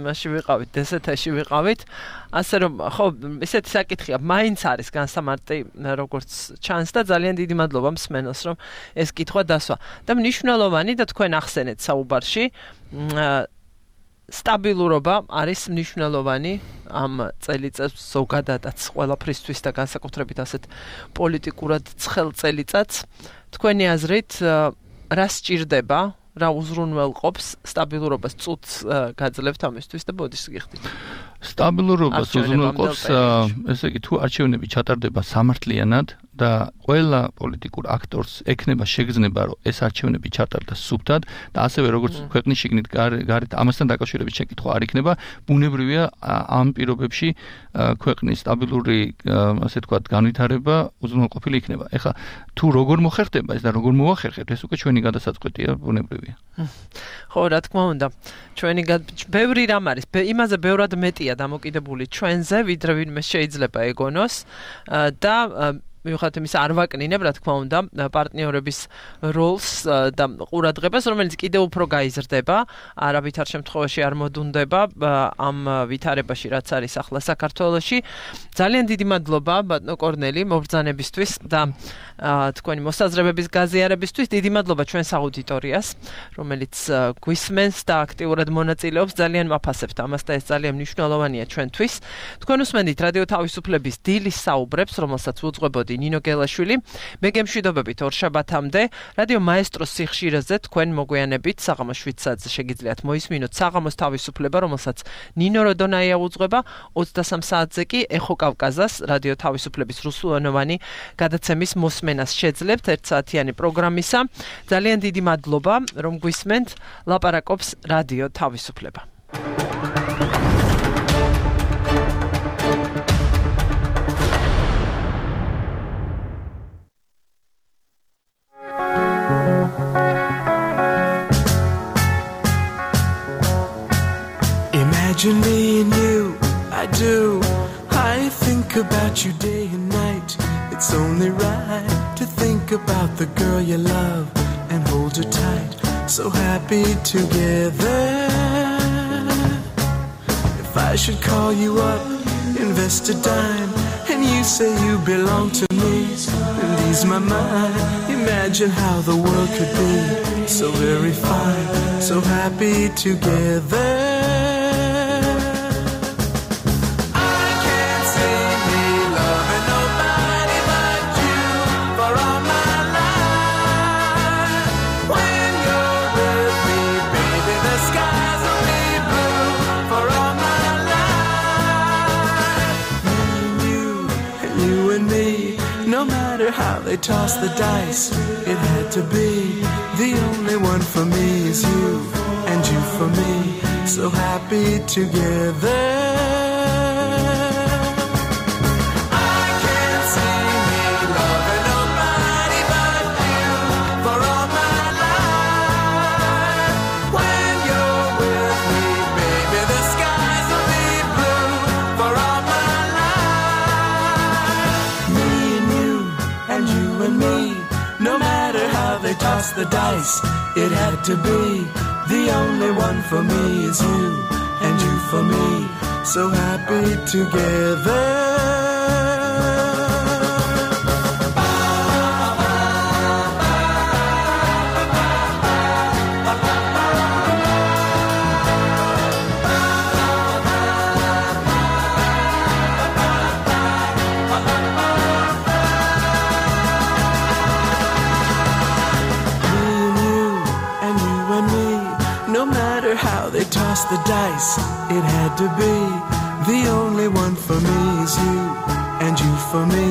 მასში ვიყავით, დესეთაში ვიყავით. ასე რომ ხო ესეთი საკითხია, მაინც არის განსამარტი როგორც ჩანს და ძალიან დიდი მადლობა მსმენელს რომ ეს კითხვა დასვა. და მნიშვნელოვანი და თქვენ ახსენეთ საუბარში სტაბილურობა არის მნიშვნელოვანი ამ წელიწადს ზოგადადაც ყველაფრისთვის და განსაკუთრებით ასეთ პოლიტიკურად ცხელ წელიწადს. თქვენი აზრით რა სჭირდება, რა უზრუნველყოფს სტაბილურობას წუთს გაძლევთ ამისთვის და ბოდის გიხდით. სტაბილურობას უზრუნველყოფს ესე იგი თუ არჩევნები ჩატარდება სამართლიანად და ყველა პოლიტიკურ აქტორს ექნება შეგრძნება რომ ეს არჩევნები ჩატარდეს სუფთად და ასევე როგორც ქვეყნის შიგნით გარეთ ამასთან დაკავშირებით შეკითხვა არ იქნება, ბუნებრივია ამ პირობებში ქვეყნის სტაბილური ასე ვთქვათ განვითარება უზრუნველყოფილი იქნება. ეხლა თუ როგორ მოხერხდება ეს და როგორ მოახერხებთ ეს უკვე ჩვენი გადასაწყვეტია, ბუნებრივია. ხო, რა თქმა უნდა. ჩვენი ბევრი რამ არის, იმაზე ბევრად მეტია დამოკიდებული ჩვენზე, ვიდრე ვინმე შეიძლება ეგონოს და მიუხედავად იმისა არ ვაკნინებ, რა თქმა უნდა, პარტნიორების როლს და ყურადღებას, რომელიც კიდევ უფრო გაიზრდება, არავითარ შემთხვევაში არ მოდუნდება ამ ვითარებაში, რაც არის ახლა საქართველოში. ძალიან დიდი მადლობა ბატონო კორნელი მობრძანებისთვის და თქვენი მოსაზრებების გაზიარებისთვის. დიდი მადლობა ჩვენს აუდიტორიას, რომელიც გვისმენს და აქტიურად მონაწილეობს. ძალიან ვაფასებთ ამას და ეს ძალიან მნიშვნელოვანია ჩვენთვის. თქვენ უსმენთ რადიო თავისუფლების დილის საუბრებს, რომელსაც უძღვებოდი ნინო გელაშვილი. მე გემშვიდობებით ორშაბათამდე რადიო მაესტროს სიხშირეზე თქვენ მოგვიანებით საღამოს შვიდ საათზე შეგიძლიათ მოისმინოთ საღამოს თავისუფლება, რომელსაც ნინო როდონაია უძღვება. ოცდასამ საათზე კი ეხო კავკაზას რადიო თავისუფლების რუსულენოვანი გადაცემის მოსმენას შეძლებთ ერთსაათიანი პროგრამისა. ძალიან დიდი მადლობა რომ გვისმენთ. ლაპარაკობს რადიო თავისუფლება. Imagine me and you, I do. I think about you day and night. It's only right to think about the girl you love and hold her tight. So happy together. If I should call you up, invest a dime, and you say you belong to me, and ease my mind. Imagine how the world could be so very fine, so happy together. How they toss the dice, it had to be. The only one for me is you, and you for me, so happy together. Toss the dice, it had to be. The only one for me is you, and you for me, so happy together. Toss the dice, it had to be. The only one for me is you, and you for me,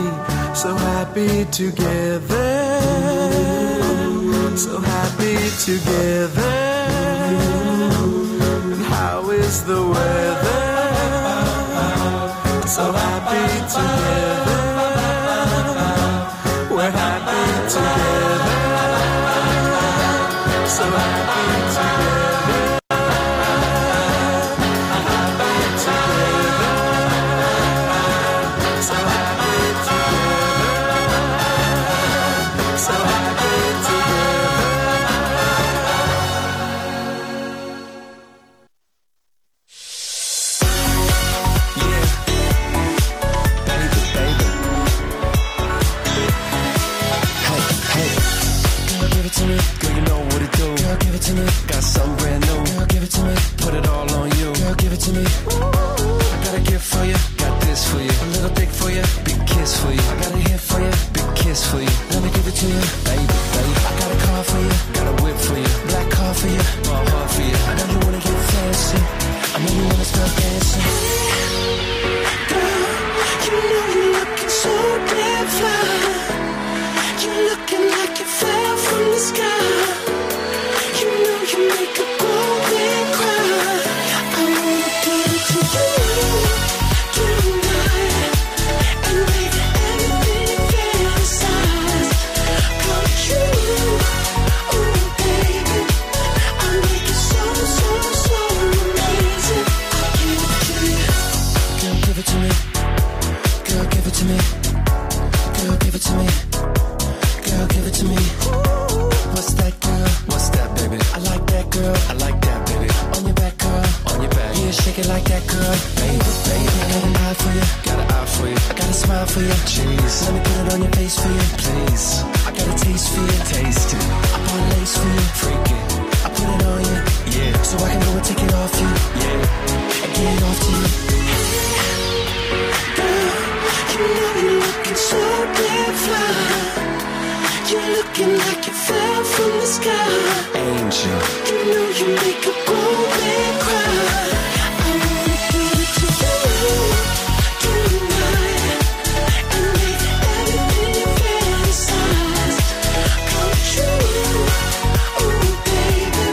so happy together. So happy together. And how is the weather? So happy together. We're happy together. So happy together. me. Got something brand new. Girl, give it to me. Put it all on you. Girl, give it to me. I got a gift for you. Got this for you. A little dick for you. Big kiss for you. I got a hit for you. Big kiss for you. Let me give it to you, baby, baby. I got a car for you. Got a whip for you. Black car for you. My heart for you. I know you wanna get fancy. I know you wanna start dancing. Girl, you know you're looking so damn fly. You're looking like you fell from the sky. You know you make a grown man cry. I wanna give it to you tonight and make everything you fantasize come true. Oh baby, I make it so so so amazing. I give it to you. Girl, give it to me. Girl, give it to me. Girl, give it to me. Girl, give it to me. What's that, girl? What's that, baby? I like that, girl. I like that, baby. On your back, girl. On your back. Yeah, shake it like that, girl. Baby, baby. I got an eye for you. Got an eye for you. I got a smile for you. Jeez. Let me put it on your face for you. Please. I got a taste for you. Taste it. I bought a lace for you. Freak it. I put it on you. Yeah. So I can go and take it off you. Yeah. And get it off to you. Girl, you know you're looking so damn fly. You're looking like you fell from the sky. Angel. You know you make a grown man cry. I wanna give it to you tonight and make everything you fantasize come true. Oh baby,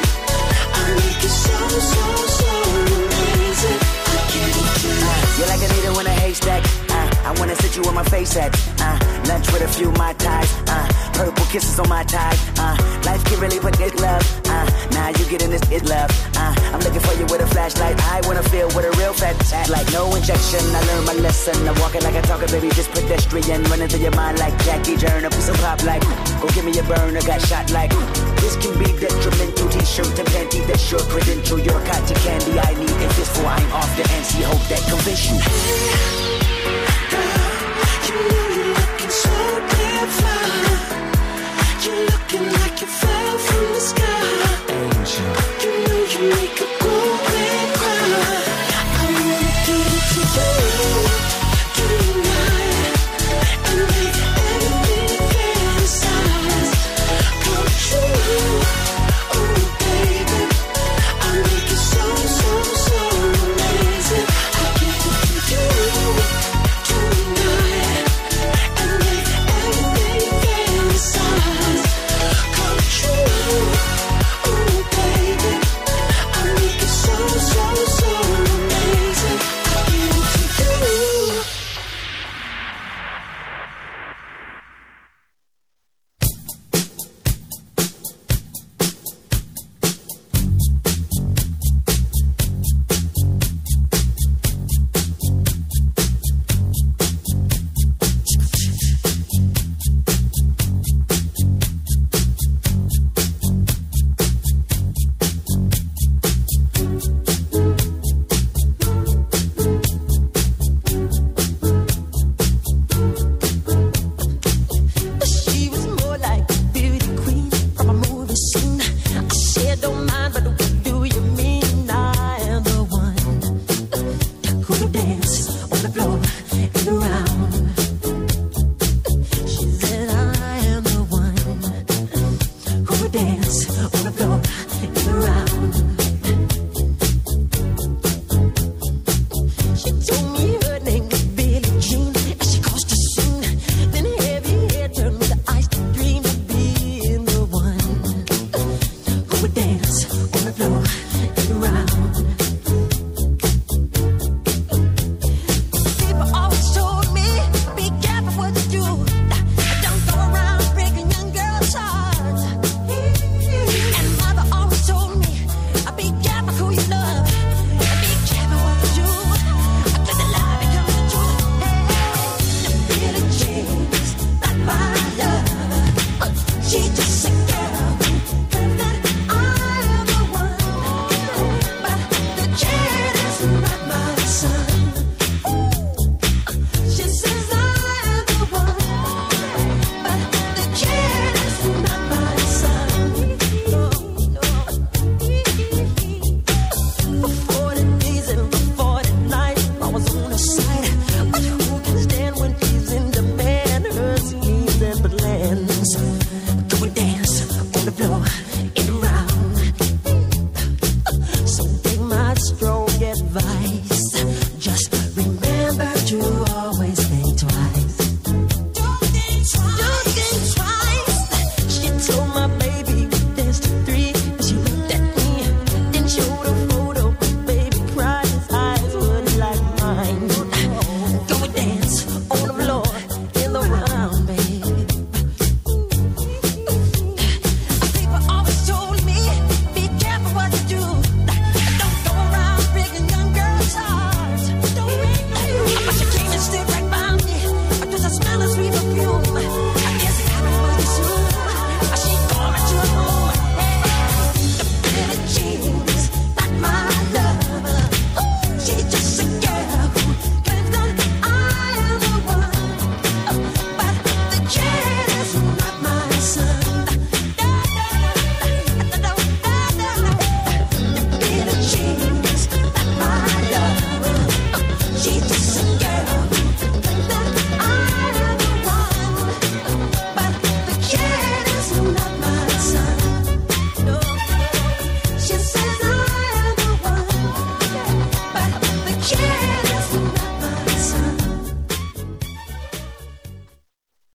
I make it so so so amazing. I give it to you. Uh, you're like a needle in a haystack. Uh, I wanna sit you where my face at. Uh, lunch with a few Mai Tais. Uh, purple kisses on my tie. Uh, life can really put this love. Uh, now you getting this is love. Uh, I'm looking for you with a flashlight. I wanna feel what a real fat act like. No injection. I learned my lesson. I'm walking like I talk, baby, just pedestrian. Running through your mind like Jackie Turner. Piece of pop like, go give me a burner. Got shot like, this can be detrimental. T-shirt and panty, that's your credential. Your cotton candy I need. If this for I'm off the N C, hope that convince you.